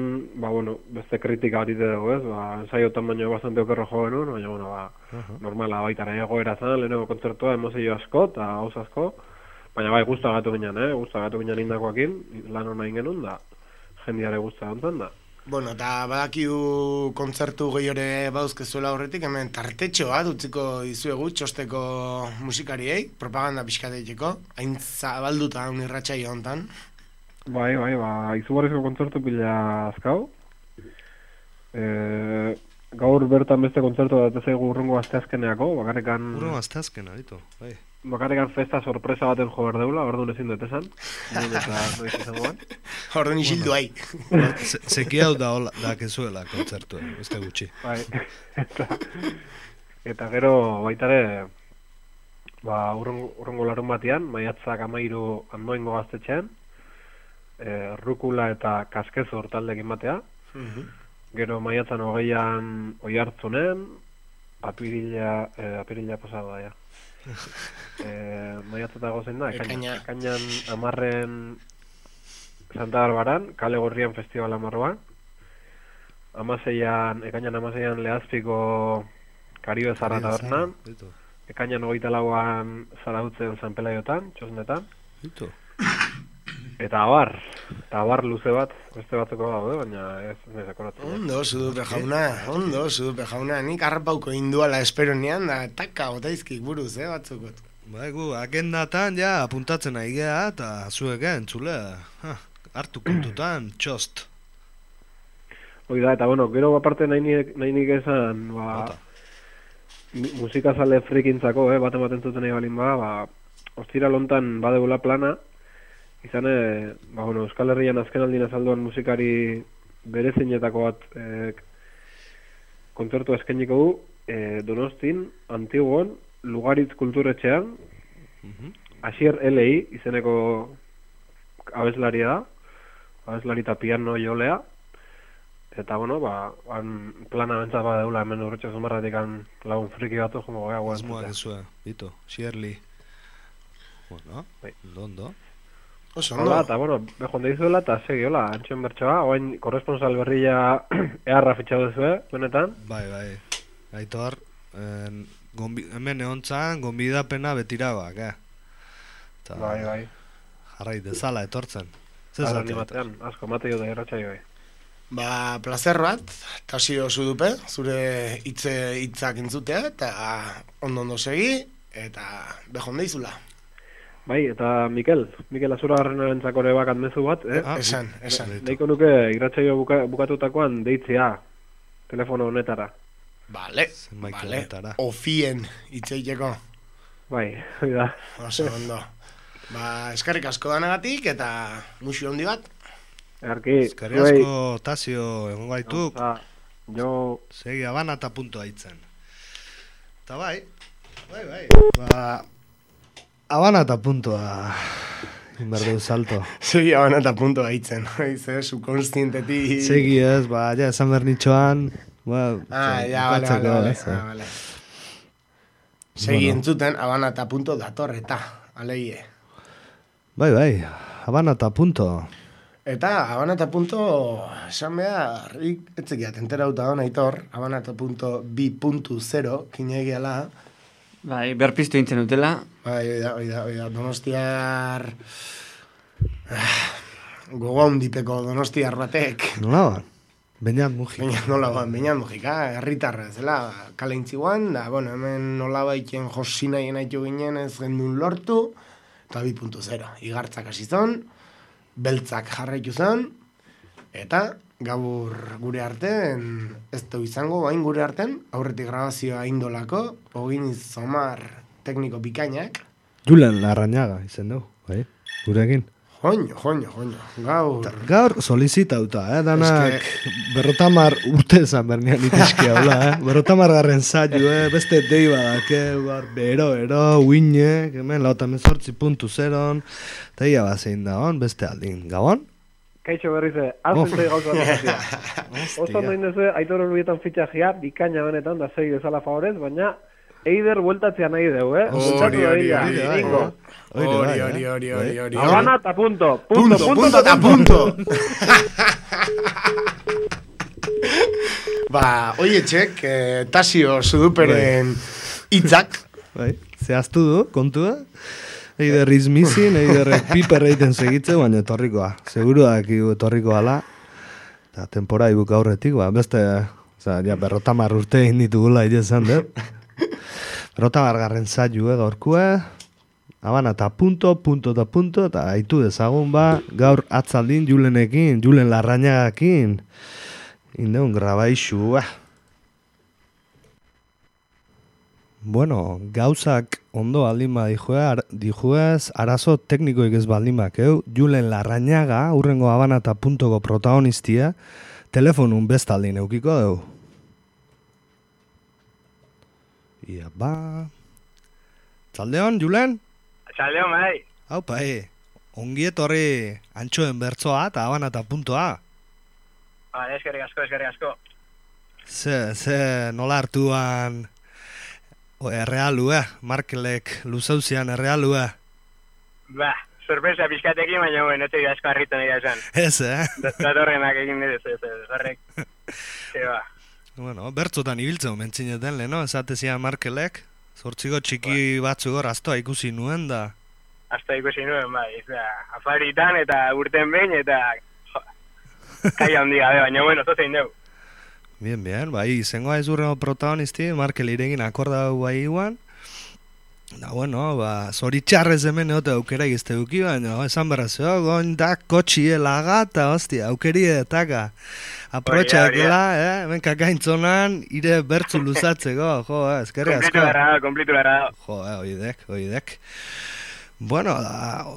beste kritika hori dugu, ez? Ensaiotan baino bastante okerro jo genuen, baina, normala baitara egoera zen, lehenengo kontzertua, emozio asko eta hauz asko, baina bai, guztagatu ginen indakoakin, lan hona ingenun, da jendiare guztagantzen da. Bueno, eta badakiu kontzertu gehiore bauzkezuela horretik, hemen tartetxo bat utziko dizuegu txosteko musikariei, propaganda pixkateiteko, hain zabalduta irratsaio hontan. Bai, izugarrizko kontzertu pila azkau. Gaur bertan beste kontzertu da zaigu urrengo asteazkeneako, bakarrikan... Urrengo asteazkena, ditu, bai. Bakarrikan festa sorpresa baten jo behar deula, orduan ezin dut esan. Orduan isildu hai. Zeki hau da kezuela kontzertu, beste gutxi. Bai, eta gero baitare, urrengo larun batian, maiatzak 13 Andoaingo gaztetxean, Rukula eta Kaskezor taldekin batea. Gero maiatzan 20an Oiartzunen, apirila pasado da, ja. Maiatzatago zein da, ekainan 10 Santa Barbaran, Kale Gorrian festivala marroan. Ekainan 16an Lehazpiko Karibe Zarra tabernan. Ekainan 24an Zarautzen San Pelaiotan, txosnetan. Eta abar luze bat, beste batzeko daude, baina ez akoratzen. Ondo, Zudupe jauna, nik harrapauko induala espero nian, da taka otaizkik buruz, batzukot. Gu, agendatan, ja, apuntatzen nahi geha, eta zuek entzule, hartu kontutan, txost. Hoi da, eta bueno, gero aparte nahi nik esan, musikazale frikintzako, bat ematen zuten nahi balin ostira lontan badeula plana, izan, Euskal Herrian azken aldin azalduan musikari berezinetako bat kontzertu eskainiko du, Donostin, Antiguon, Lugaritz kulturetxean, Asier L.I. izeneko abeslaria da, abeslari eta piano jolea, Eta, bueno, plana bentsat badeula hemen urretxe zumarratik lagun friki batu jongo gara guen. Asmoak ezue, Bito, Shirley. Bueno, ondo. Oso, Hola, eta, bueno, behon deizuela eta segi, hola, antxoen bertsoa, oain korresponsal berria eharra fitxau duzue, benetan. Bai. Aitor, hemen egontzan, gonbidapena betirabak, Bai. Jarrai dezala etortzen. Ara animatean, asko, mate jo da irratxai bai. Plazer bat, Tasio Zudupe, zure hitzak entzutea, eta ondo segi, eta behon deizula. Bai, eta Mikel Azura Garrenarentzako ere bakat mezu bat, Esan. Neiko nuke irratsaio bukatutakoan deitzea telefono honetara. Vale. Ofien itzeiteko. Bai, hori da. Oso ondo. Eskerrik asko danagatik eta muxu handi bat. Eskerrik asko, Tasio, egon gaituk. Jo... Segi Habana eta punto haitzen. Eta bai. Habana eta puntoa inberdeu salto. Segi Habana eta punto haitzen. Subkonstientetik... Segi ez, esan bernitxoan... Vale. Segi entzuten Habana eta punto datorreta, aleie. Bai, Habana eta punto. Eta Habana eta punto, esan behar, etzekiat, enterauta hona Aitor, Habana eta punto 2.0, kinegiala. Bai, berpiztu intzen dutela. Bai, oida, Donostiar... Gogo handipeko Donostiar batek. Nola ba? Beñat Mujika, herritarra zela, kale intziguan, da, bueno, hemen nola baiten josinaien haitu ginen ez gendun lortu, eta 2.0, igartzak hasi zon, beltzak jarraitu zon, eta gaur gure arten, ez du izango, bain gure arten, aurretik grabazioa indolako, hogin izomar tekniko bikainak. Julen Larrañaga izen du, bai, gurekin. Joño, gaur solicitauta, danak berrotamar urte zan bernian itizki haula, berrotamar garren zailu, beste dei badake, bero, uine, hemen lauta mezortzi puntu zeron, eta ia bazein da hon, beste aldin, gabon? Kaixo berrize, alzentzei gauza bat. Oso noin duzu, Aitor Urbietan fitxajia, bikaina benetan, da segi bezala favorez, baina Eider bueltatzea nahi dugu, Hori. Habana eta punto. Punto eta punto. Oie txek, Tasio Zuduperen hitzak. Zehaztu du, kontua. Eider izmizin, Eider piper egiten segitze, baina etorrikoa. Seguruak etorriko ala. Eta temporai buka aurretik, beste, berrotamar urte egin ditugula idezan, Berrotamar garren zailu gaurkue, Habana eta punto, eta haitu dezagun gaur atzaldin Julen Larrañagakin, indeun grabaixu, Bueno, gauzak ondo aldin dijuez, arazo teknikoik ez baldin bakeu, Julen Larrañaga, urrengo Habana eta puntoko protagonistia, telefonun bestaldin eukiko deu. Ia Txaldeon, Julen? Txaldeon, bai. Haupa, ongi etorri antxoen bertzoa eta Habana eta puntoa. Eskerrik asko. Ze nola hartuan errealue, Markelek luzauzian errealue. Sorpresa pixkatekin, baina note asko harritu nahi da esan. Ez, Datorrenak egin dira, horrek. Bueno, bertzotan ibiltzen mentzineten lehen, esatezian Markelek, zortziko txiki batzu gor, aztoa ikusi nuen da. Aztoa ikusi nuen, bai, afaritan eta urten behin eta kai handi gabe, baina bueno, zozein dugu. Bien, bai, izangoa ez urrengo protagonisti, Markel iregin akordau bai iguan, da, bueno, zoritxarrez hemen egote aukera egizte duki, baina esan berrazio, goin da kotxie lagata, hostia, aukeri edetaka. Aprotxakela, hemen kakaintzonan, ire bertzu luzatzeko, eskerri asko. Komplitu berra. Oidek. Bueno,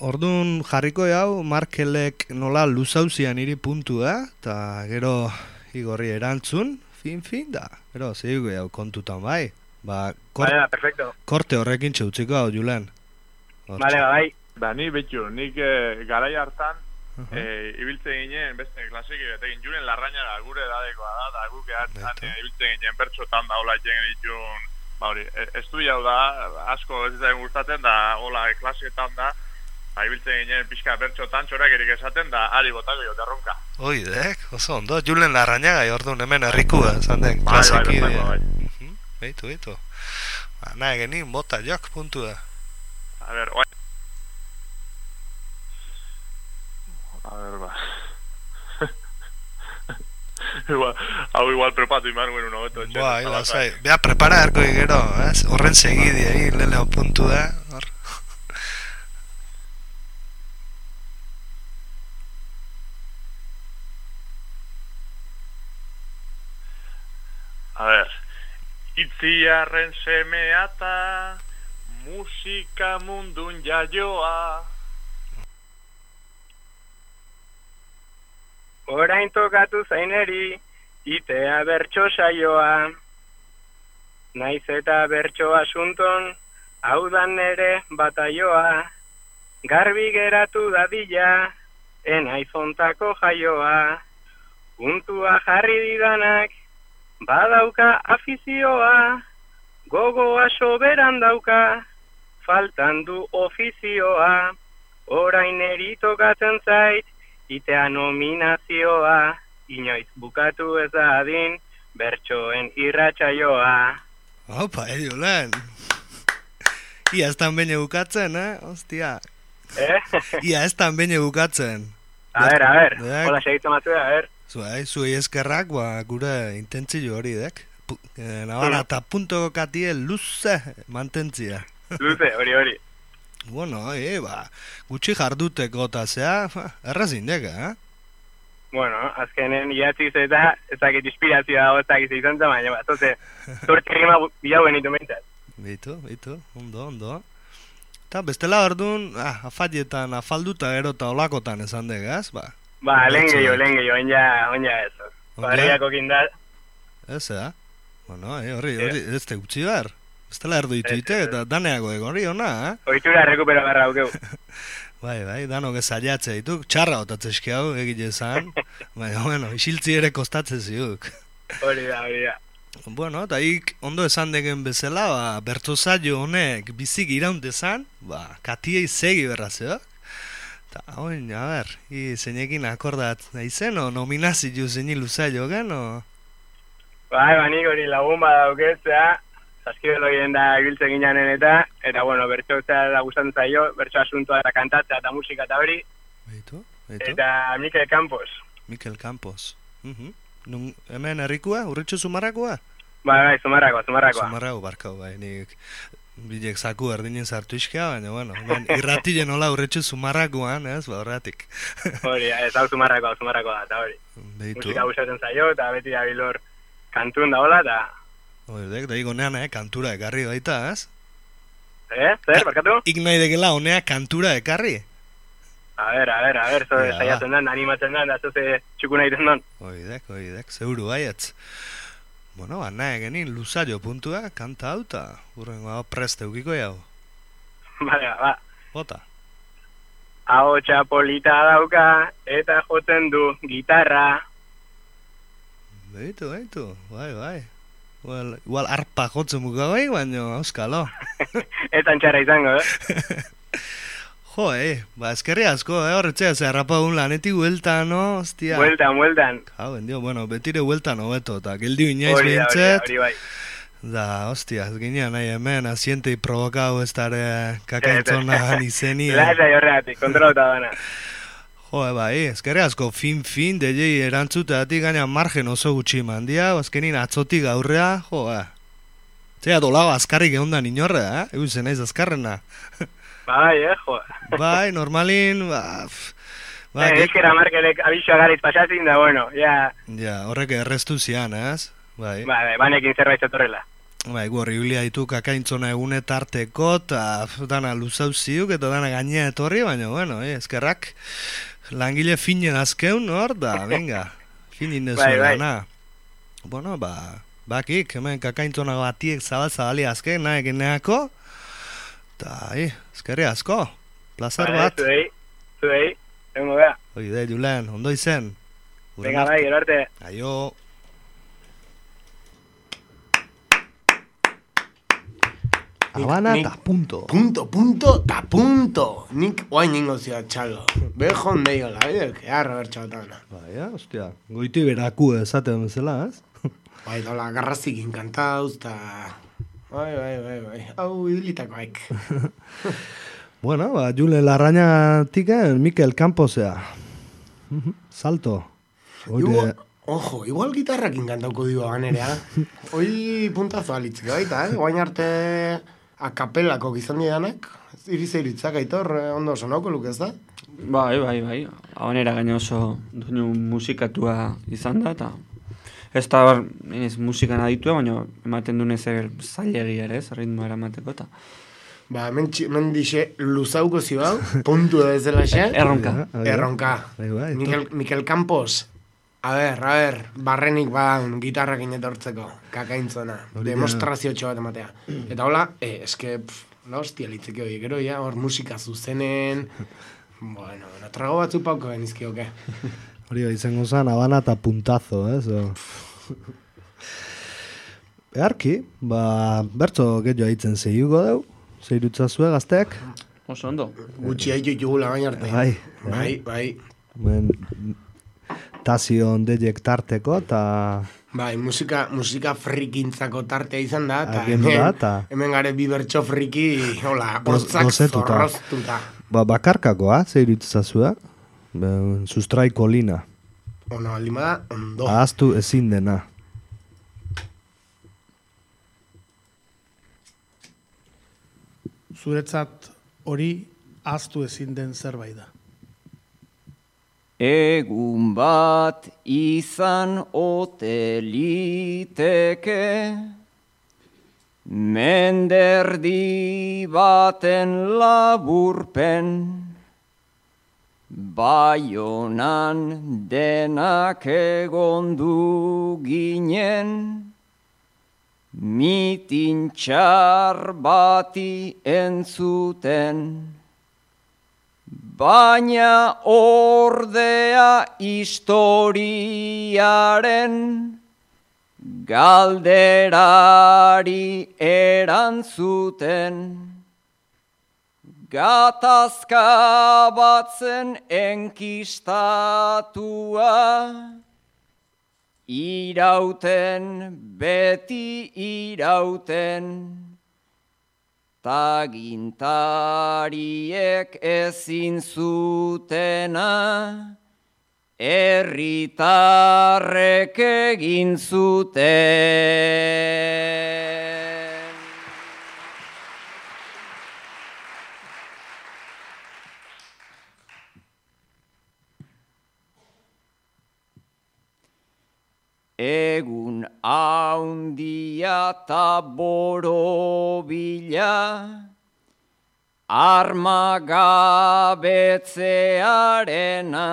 orduan jarriko jau, Markelek nola luzauzian iri puntu, eta gero igorri erantzun, fin, da. Gero, zehigu jau kontutan bai. Perfecto. Korte horrekin txautziko hau, Julen. Bai. Ni betxu, nik garai hartan ibiltzen ginen beste klasiki betekin Julen Larrañaga gure edadekoa da, eta guk ibiltzen ginen bertxotan da hola itxen ditun, ba hori, estudia da, asko ez izan gustatzen da, hola klasietan da, ibiltzen ginen pixka bertxotan txorakerik esaten da, ari botako jo terronka. Oidek, oso ondo, Julen Larrañaga orduan hemen herrikua, esan den, klasiki. Beitu. Nahi genin, bota jok, puntua. A ver, ba. Igual prepatu iman guen uno beto. Lasai. Bea, prepara erko gero, horren segidi, leleo puntu da. A ver, itziarren semeata, musika mundun jaioa. Orain tokatu zaineri, itea bertso saioa. Naiz eta bertso asunton, hau da nere bataioa. Garbi geratu dadila, enaiz ontako jaioa. Puntua jarri didanak, badauka afizioa. Gogoa soberan dauka, faltan du ofizioa. Orain eri tokatzen zait, itea nominazioa, inoiz bukatu ez da adin, bertsoen irratsaioa. Opa, Julen. Ia ez tan bene bukatzen, Ostia. Ia ez tan bene bukatzen. A ver, hola segitu matu a ver. Zuei eskerrak, gure intentzio hori, dek. Nabara, eta punto katie luze mantentzia. Luze, hori. Bueno, gutxi jarduteko eta zea, errazin deka, Bueno, azkenen iatziz eta ezakit inspirazioa dago ezakit izan zen, baina zoze, zortzi rima bilau benitu mentzat. Beitu, ondo. Eta bestela orduan, afalietan, afalduta gero eta olakotan esan degaz, lehen gehiago, onja ez. Barriako kindat. Ez, Bueno, hori, ez te gutxi behar. Estela erdu dituite eta daneago egon hori hona, Oitura rekupera barra aukeu. Bai, danok ez aliatze dituk, txarra otatzezki hau egile zan, baina, bueno, isiltzi ere kostatzen ziuk. Hori da. Bueno, eta ondo esan degen bezala, bertsozaio honek bizik iraundezan, katiei segi berrazio. Eta, oin, a ber, zeinekin akordat naizen, o nominazio zeini luzailo gen, o? Bai, banik hori lagun badauketzea, Zaskibelo ginen da ibiltzen ginanen eta bueno, bertso da gustatzen zaio, bertso asuntoa eta kantatzea eta musika eta hori. Beitu. Eta Mikel Campos. Hemen herrikua, urritxo Zumarrakoa? Bai, Zumarrakoa. Zumarrago barkau, nik bilek zaku erdinen sartu iskia, baina, bueno, irratilen hola urritxo Zumarrakoan, horretik. Hori, ez hau Zumarrakoa eta hori. Beitu. Musika gustatzen zaio eta beti da bilor kantun da hola eta... Oidek, da igonean, kantura ekarri baita, ez? Zer, barkatu? Ik nahi dekela honea kantura ekarri? A ver, zo saiatzen dan, animatzen dan, da zoze txuku nahi den dan. Oidek, zeuru baietz. Bueno, nahi genin luzaio puntua, kanta hau, eta urrengo preste ukiko jau. Bale, Bota. Hau txapolita dauka, eta jotzen du gitarra. Beitu, bai. Igual arpa jotzen bukagoik, baina auskalo. Etan txarra izango, Jo, eskerri asko, horretzea zerrapa un lanetik hueltan, no? Ostia. Hueltan. Bendio, bueno, betire hueltan hobeto, eta geldi inaiz behintzet. Hori bai. Da, ostia, ez ginean nahi hemen, asientei provokau ez dara kakaintzona izeni. Lasa jorreatik, kontrolota dana. Jo, eskerri asko, fin, dejei erantzutatik gaina margen oso gutxi mandia, azkenin atzotik aurrea, Zea dolago azkarrik egondan inorra, Eguzen naiz azkarrena. Bai, jo. Bai, normalin, Eskera markelek abixoa garitz pasatzin da, bueno, ja... Ja, horrek erreztu zian, ez? Bai, banekin zerbait zetorrela. Bai, horribilia ditu kakaintzona egunetarteko, eta dana luzau ziuk, eta dana gainea etorri, baina, bueno, eskerrak langile finen azkeun, hor, da, venga, finin dezuela, na. Bueno, bakik, hemen kakaintzona batiek zabali azken, nahi geneako, eta, eskerri asko, plazer bat. Zuei. Egungo bea. Oide, Julen, ondo izen. Venga, bai, gero arte. Aio. Habana eta punto. Punto. Nik oain ningo zio txalo. Bejo ondeio, la bide, kearra bertxotana. Baina, hostia, goiti beraku esaten bezala, ez? Bai, dola, garrazik inkantauz, eta... Bai. Hau idilitakoak. Bueno, Jule Larrañatik Mikel Camposea. Salto. Igual gitarrak inkantauko dio ganerea. Hoi puntazo alitziko baita, Guain arte akapelako gizan didanak. Iritzak aitor, ondo sonauko luk ez da? Bai. Habanera gaina oso duinu musikatua izan da, eta ez da musikan aditua, baina ematen dune zer zailegi ere, ez, ritmoa eramateko, eta... Ba, hemen dixe luzauko zibau, puntu da ez dela xe. Erronka. Mikel Campos. A ber, barrenik badan gitarrak inetortzeko, kakaintzona, demostrazio txobat ematea. Eta hola, eske, la hostia litzeke hori, gero ya, hor musika zuzenen, bueno, trago batzu pauko benizkioke. Hori izango zen, Habana eta puntazo, Earki, bertzo gehiago haitzen zeiuko deu, zeirutzazue gazteak? Oso ondo. Gutxi haitu jugula baina arte. Bai. Tazion deiek tarteko, eta... Bai, musika frikintzako tartea izan da, eta hemen gare bi bertso friki, hola, hortzak zorroztuta. Bakarkakoa, zeirutzazue, sustraiko lina. Ona, baldima da, ondo. Ahaztu ezin dena. Zuretzat hori ahaztu ezin den zerbait da. Egun bat izan ote liteke, menderdi baten laburpen, Baionan denak egondu ginen, mitin txar bati entzuten, baina ordea historiaren galderari erantzuten. Gatazka batzen enkistatua, irauten, beti irauten, tagintariek ezin zutena, herritarrek egin zuten. Egun haundia ta borobila, armagabetzearena,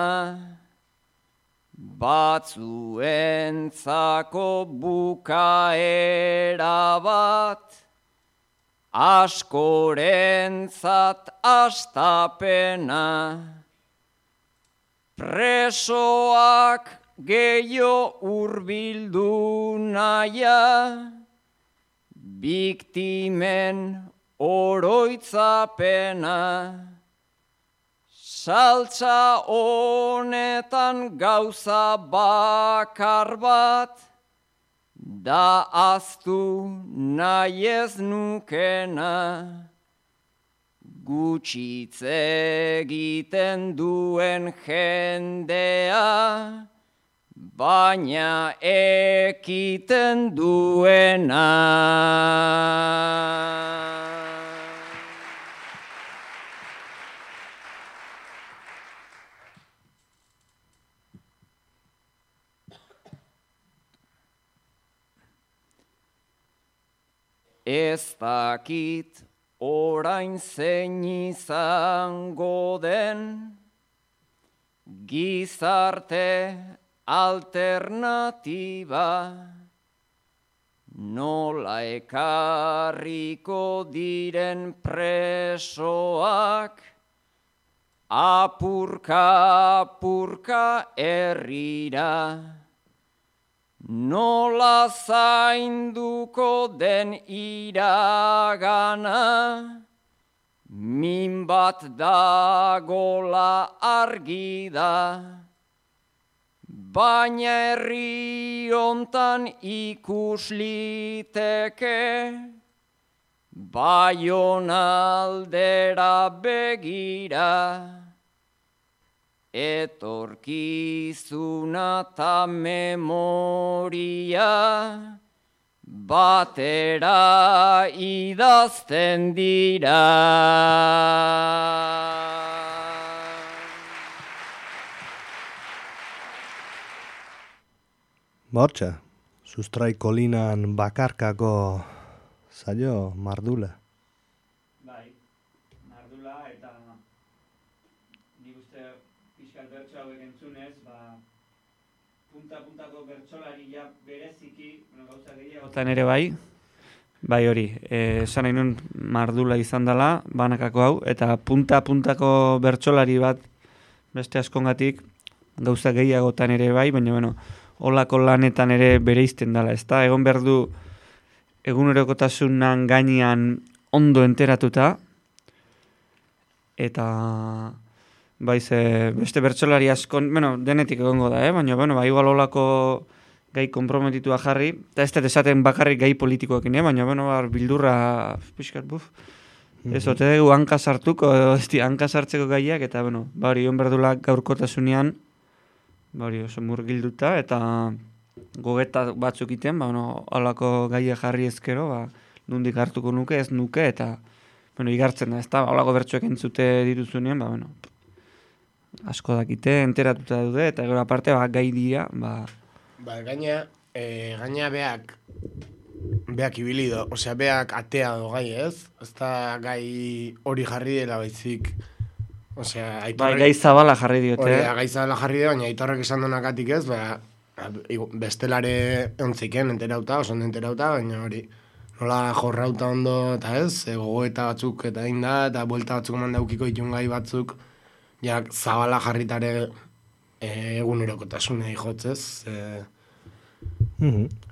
batzuentzako bukaera bat, askorentzat astapena, presoak gehiago hurbildu naia, biktimen oroitzapena, saltza honetan gauza bakar bat, da aztu nahi ez nukena, gutxitz egiten duen jendea, baina ekiten duena. Ez dakit orain zein izango den, gizarte alternatiba, nola ekarriko diren presoak, apurka herrira, nola zainduko den iragana, min bat dagola argi da, baina herri hontan ikus liteke, Baionaldera begira, etorkizuna ta memoria, batera idazten dira. Bortxa, sustrai kolinan bakarkako zailo mardula. Bai, mardula eta nik uste pixkat bertso hauek entzunez, punta-puntako bertsolaria bereziki, gauza gehiagotan ere bai hori, esan nahi nun mardula izan dela, banakako hau, eta punta-puntako bertsolari bat beste askongatik gauza gehiagotan ere bai, baina holako lanetan ere bereizten dela, ezta? Egon behar du egunerokotasunan gainean ondo enteratuta, eta beste bertsolari askon, denetik egongo da, baina igual holako gai konprometitua jarri, eta ez dut esaten bakarrik gai politikoekin, baina bildurra pixkat ez ote dugu hanka sartuko, hanka sartzeko gaiak, eta hori on berdula gaurkotasunean, oso murgilduta, eta gogeta batzuk iten, holako gaia jarri ezkero, nondik hartuko nuke, ez nuke, eta igartzen da, ez da, holako bertsoek entzute dituzunean, asko dakite, enteratuta daude, eta gero aparte, gai dira, gaina beak ibili do, osea, beak atea do gai, ez? Ez da gai hori jarri dela baizik, osea, aitorrek... gai zabala jarri diote. Gai zabala jarri dira, baina aitorrek esan donakatik ez, bestelare ontziken enterauta, oso ondo enterauta, baina hori nola jorrauta ondo, eta ez, gogoeta batzuk eta egin da, eta buelta batzuk mandaukiko ditun gai batzuk, zabala jarritare egunerokotasuna ijotzez.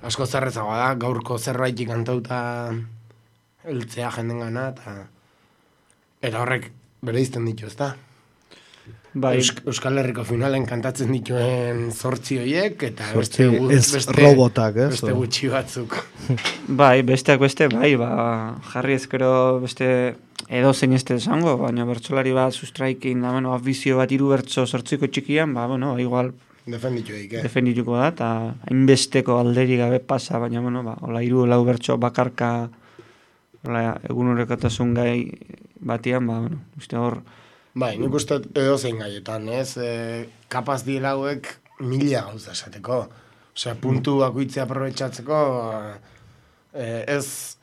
Asko zerrezagoa da, gaurko zerbaitik kantauta heltzea jendengana, eta horrek bereizten ditu, ez da? Euskal Herriko finalen kantatzen dituen 8 horiek, eta beste gutxi batzuk. Besteak beste, jarri ezkero beste edozein ez esango, baina bertsolari bat sustraikin, afizio bat 3 bertso 8ko txikian, igual defendituko da, eta hainbesteko alderi gabe pasa, baina, hola 3-4 bertso bakarka egunerokotasun gai batian, uste hor, nik uste edozein gaietan, ez? Kapaz diela hauek 1000 gauza esateko. Osea, puntu bakoitzea aprobetxatzeko, ez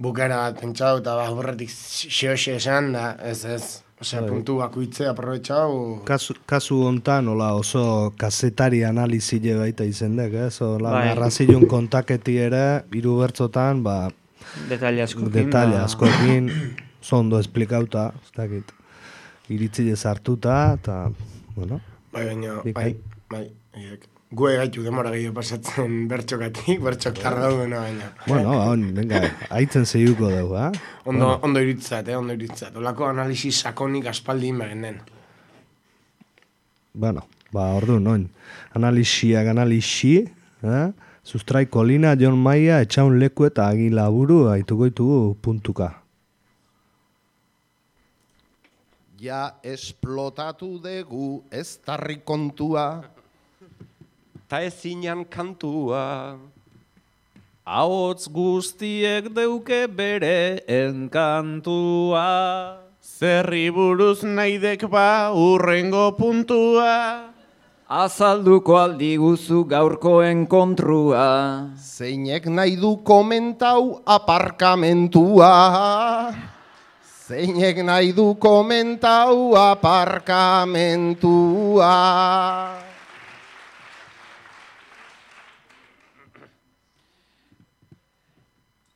bukera bat pentsau eta horretik xeoxe esan, da, ez. Osea, puntu bakoitzea aprobetxau. Kasu hontan, oso kazetari analizile baita izendek, ez? Narrazioen kontaketi ere, 3 bertzotan, detalle askokin, zondo esplikauta, ez dakit. Iritzile sartuta, eta, Gue gaitu demora gehiago pasatzen bertxokatik, bertxok tarra daudena baina. Venga, haitzen zeiuko dugu, ha? Ondo iritzat. Olako analisi sakonik aspaldi inbegen den. Orduan, analisi, sustrai kolina, Jon Maia, etxaun leku eta agila buru, haituko ditugu puntuka. Ja esplotatu dugu ez tarri kontua, ta ezinan kantua. Ahots guztiek deuke bere enkantua. Zerri buruz naidek urrengo puntua. Azalduko aldi guzu gaurkoen kontrua. Zeinek nahi du komentau aparkamentua. Zeinek nahi du komentau aparkamentua.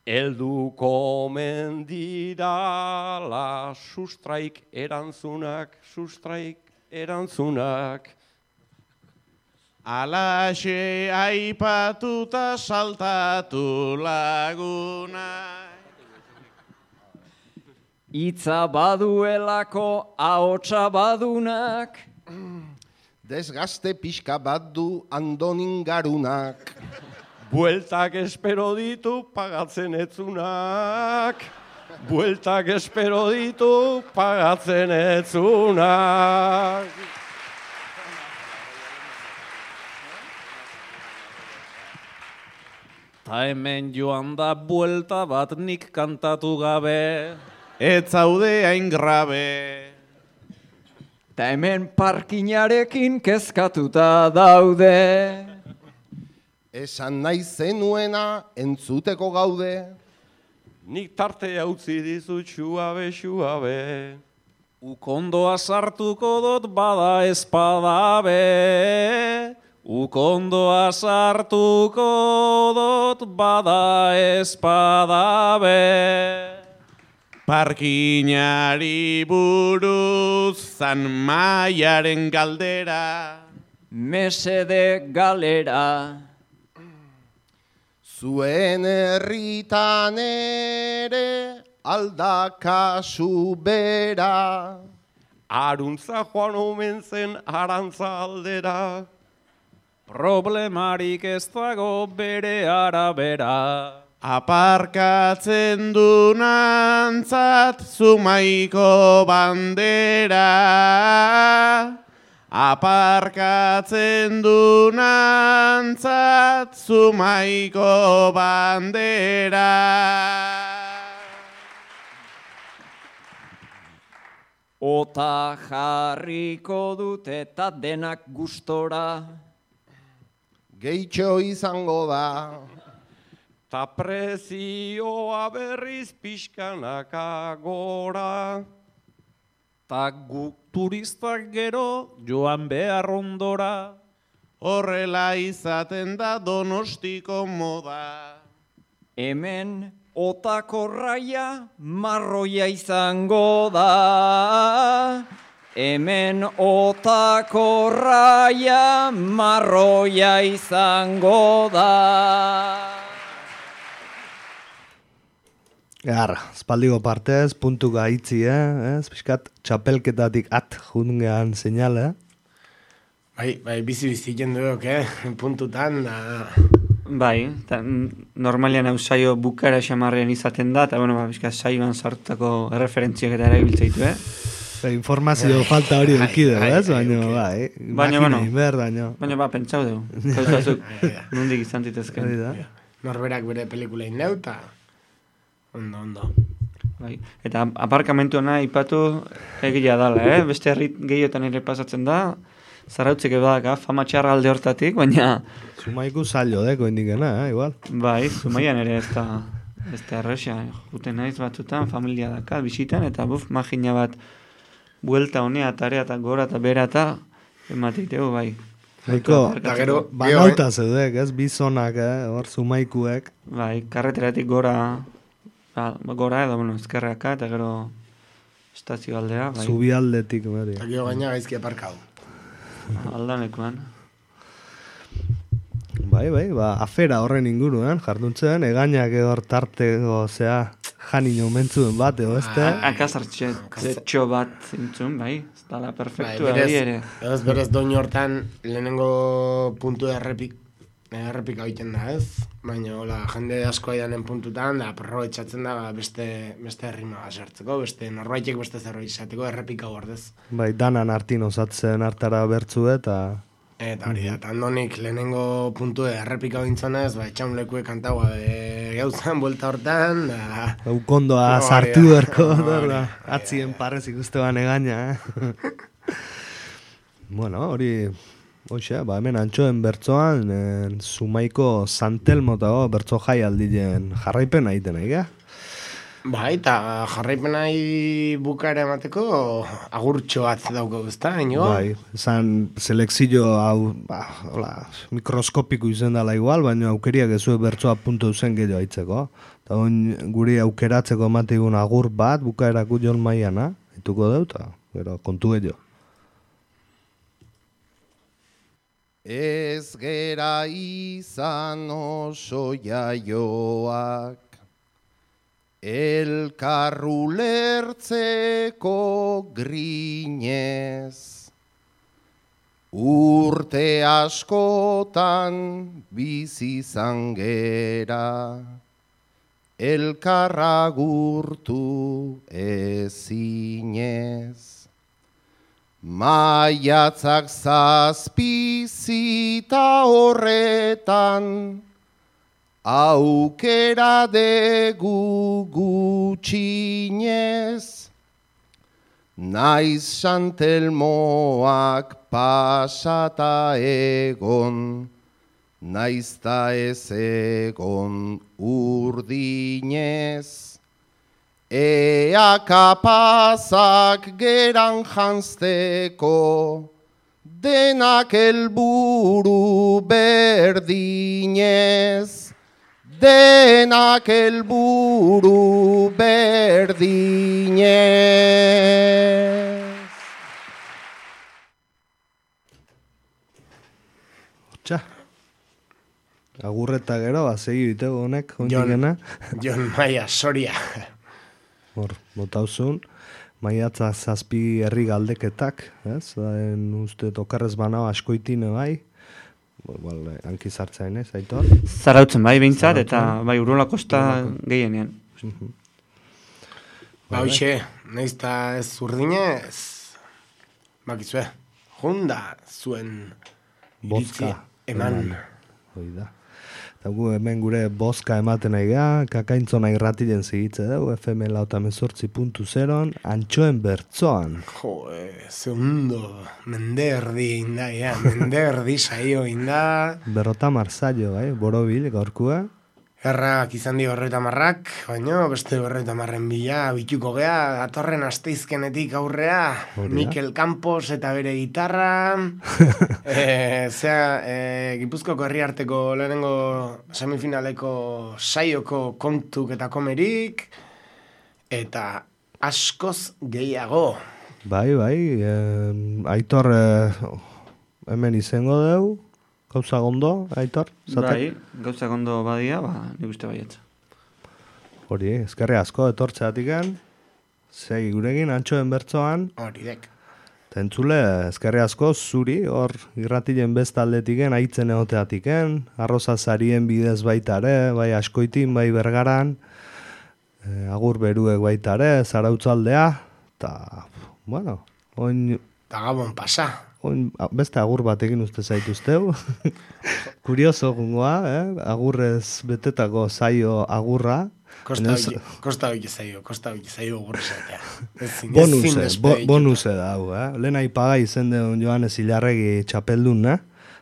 Elduko mendirala sustraik erantzunak. Alaxe aipatuta saltatu laguna. Itza baduelako ahotsa badunak. Desgaste pixka bat du Andonin garunak. Bueltak espero ditu pagatzen etzunak. Bueltak espero ditu pagatzen etzunak. Ta hemen joan da buelta bat nik kantatu gabe. Ez zaude hain grabe. Ta hemen parkinarekin kezkatuta daude. Esan nahi zenuena entzuteko gaude. Nik tartea utzi dizut xuabe. Ukondoa sartuko dut bada espadabe. Ukondoa sartuko dut bada espadabe. Parkinari buruz Zan Maiaren galdera. Mesede galera. Zuen herritan ere aldakasu bera. Aruntza joan omen zen arantza aldera. Problemarik ez dago bere arabera. Aparkatzen du nantzat Zumaiko bandera. Aparkatzen du nantzat Zumaiko bandera. Ota jarriko dut eta denak gustora. Gehitxo izango da. Ta prezioa berriz pixkanaka gora. Ta guk turistak gero joan behar ondora. Horrela izaten da Donostiko moda. Hemen otako raia marroia izango da. Hemen otako raia marroia izango da. Gar, espaldiko partez, puntuka itzi, ez? Piskat, txapelketatik jungean seinale, Bai, bizi jenduok, puntutan, da... Bai, normalian hau saio bukara xamarrean izaten da, eta bueno, bizka saioan sartutako erreferentziak eta erabiltzeitu, informazio falta hori eukide, ez? Baina, pentsau dugu. Kauzazuk, nondik izan ditezken. Norberak bere pelikula indeu, eta... Ondo. Bai. Eta aparkamentu hona ipatu egia dala, Beste herrit gehiotan ere pasatzen da, zarautzek edadaka, fama txarra alde hortatik, baina... Zumaiku zailo deko indikena, igual. Bai, Zumaian ere ez da erresa. Juten naiz batzutan, familia daka, bisitan, eta magina bat buelta honea, tarea eta gora eta bera eta emateitegu, bai. Banauta zeudek, ez? Bizonak, hor Zumaikuek. Bai, karreteratik gora edo, ezkerraka, eta gero estazio aldea. Bai. Zubialdetik, bari. Eta gero gaina gaizki aparkau. Aldanekoan. Bai, afera horren inguruen, jarduntzen, egainak hor tarteko, janino mentzuen bat, ezte? Akazartxo bat zintzun, bai, ez dala perfektua ere. Berez doin hortan lehenengo puntu errepika egiten da, ez? Baina, jende asko aidanen puntutan, da, aprobetxatzen da beste herrima sartzeko, beste norbaitek beste zerbait izateko errepika gordez. Bai, danan hartin osatzen hartara bertzu eta hori da, Andonik lehenengo puntu errepika bintzonez, etxaun lekuek kantaua gauzan, buelta hortan, da... Ukondoa sartu berko, atzien parrez ikustean egaina, Bueno, hori... Hoxe, hemen antxoen bertzoan, Zumaiko Santelmo eta bertzo jai aldien jarraipen egiten, Bai, eta jarraipenai bukaera emateko agurtxo bat dauko, ezta, inigo? Bai, esan selekzio hau, hola, mikroskopiko izen dela igual, baina aukeriak ezue bertsoa puntu zen gehiago aitzeko. Eta guri aukeratzeko emategun agur bat, bukaerako Jon Maiana, ituko deuta, gero kontu gehiago. Ez gera izan oso jaioak, elkarru lertzeko grinez, urte askotan bizi izan gera, elkarra gurtu ezinez. Maiatzak zazpizita horretan, aukera degu gutxinez, naiz Santelmoak pasata egon, naizta ez egon urdinez. Ea kapazak geran janzteko, denak helburu berdinez, denak helburu berdinez. Txa, agurreta gero, segi ditego honek, ondigena. Jon Maia, Soria. Hor, botauzun, maiatza zazpi herri galdeketak, ez? Uste tokarrez banao askoitine bai, hanki zartzain ez, Aitor? Zarautzen bai behintzat, eta bai Urola Kosta gehienean. Ba, hoxe, nahizta ez urdinez, bakizue, junda zuen bozka eman. Hoi da. Eta gu hemen gure bozka ematen nahi geha, kakaintzona irratilen zigitze dugu, FM lautamezortzi.0, antxoen bertzoan. Jo, segundo, menderdi inda, menderdi saio inda. Berrotamar zailo, borobil, gaurkua. Errak izan di 50, baina beste 50 bila bituko gea, datorren asteizkenetik aurrea, Mikel Campos eta bere gitarra, Gipuzkoako herriarteko lehenengo semifinaleko saioko kontuk eta komerik, eta askoz gehiago. Bai, Aitor hemen izango dugu. Gauza gondo, Aitor? Bai, gauza gondo badia, nik uste baietza. Hori, eskerri asko etortzeatiken, segi guregin, antxoen bertzoan. Hori dek. Tentzule, eskerri asko, zuri, hor irratilen bestaldetiken, aitzen egoteatiken, arroza zarien bidez baitare, bai askoitin, bai bergaran, agur beruek baitare, zarautzaldea, eta, bueno, oin... Eta gabon pasa. Beste agur batekin uste zaituzteu. Kurioso gungoa, agurrez betetako zaio agurra. Kosta biki zaio agurra zaitea. Bonuse da hau, Lehen aipaga izen deun Joanes Ilarregi txapeldun,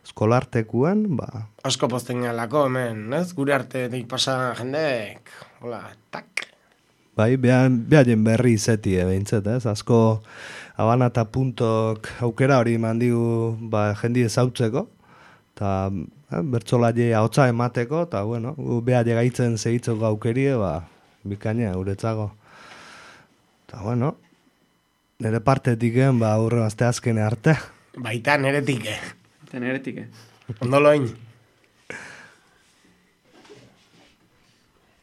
eskolartekuan, Asko posten galako, hemen, gure artetik pasa jendek, hola, tak. Bai, behaien berri izeti, behintzet, asko... Habana eta puntok aukera hori mandigu jendi ezautzeko, eta bertzolaie ahotsa emateko, eta bueno, beha gaitzen segitzeko aukerie, bikaina guretzago. Eta bueno, nire partetiken, aurre azte azkene arte. Baita neretike. Eta neretike. Ondoloin.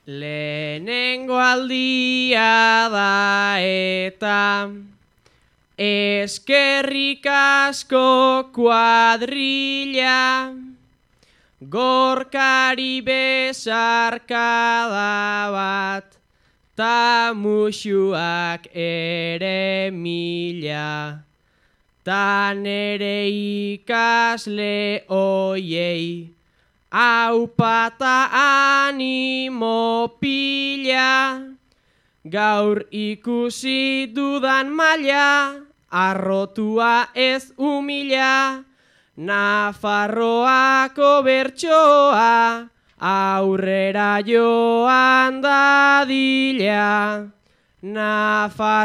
Lehenengo aldia da eta... Eskerrik asko kuadrilla, gorkari besarkada bat, ta musuak ere mila, ta nere ikasle oiei, aupata animo pila, gaur ikusi dudan maila, arrotua ez humila, Nafarroako bertsoa aurrera joan dadila, Nafarroako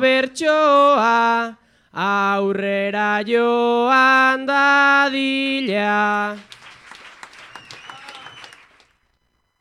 bertsoa, aurrera joan dadila.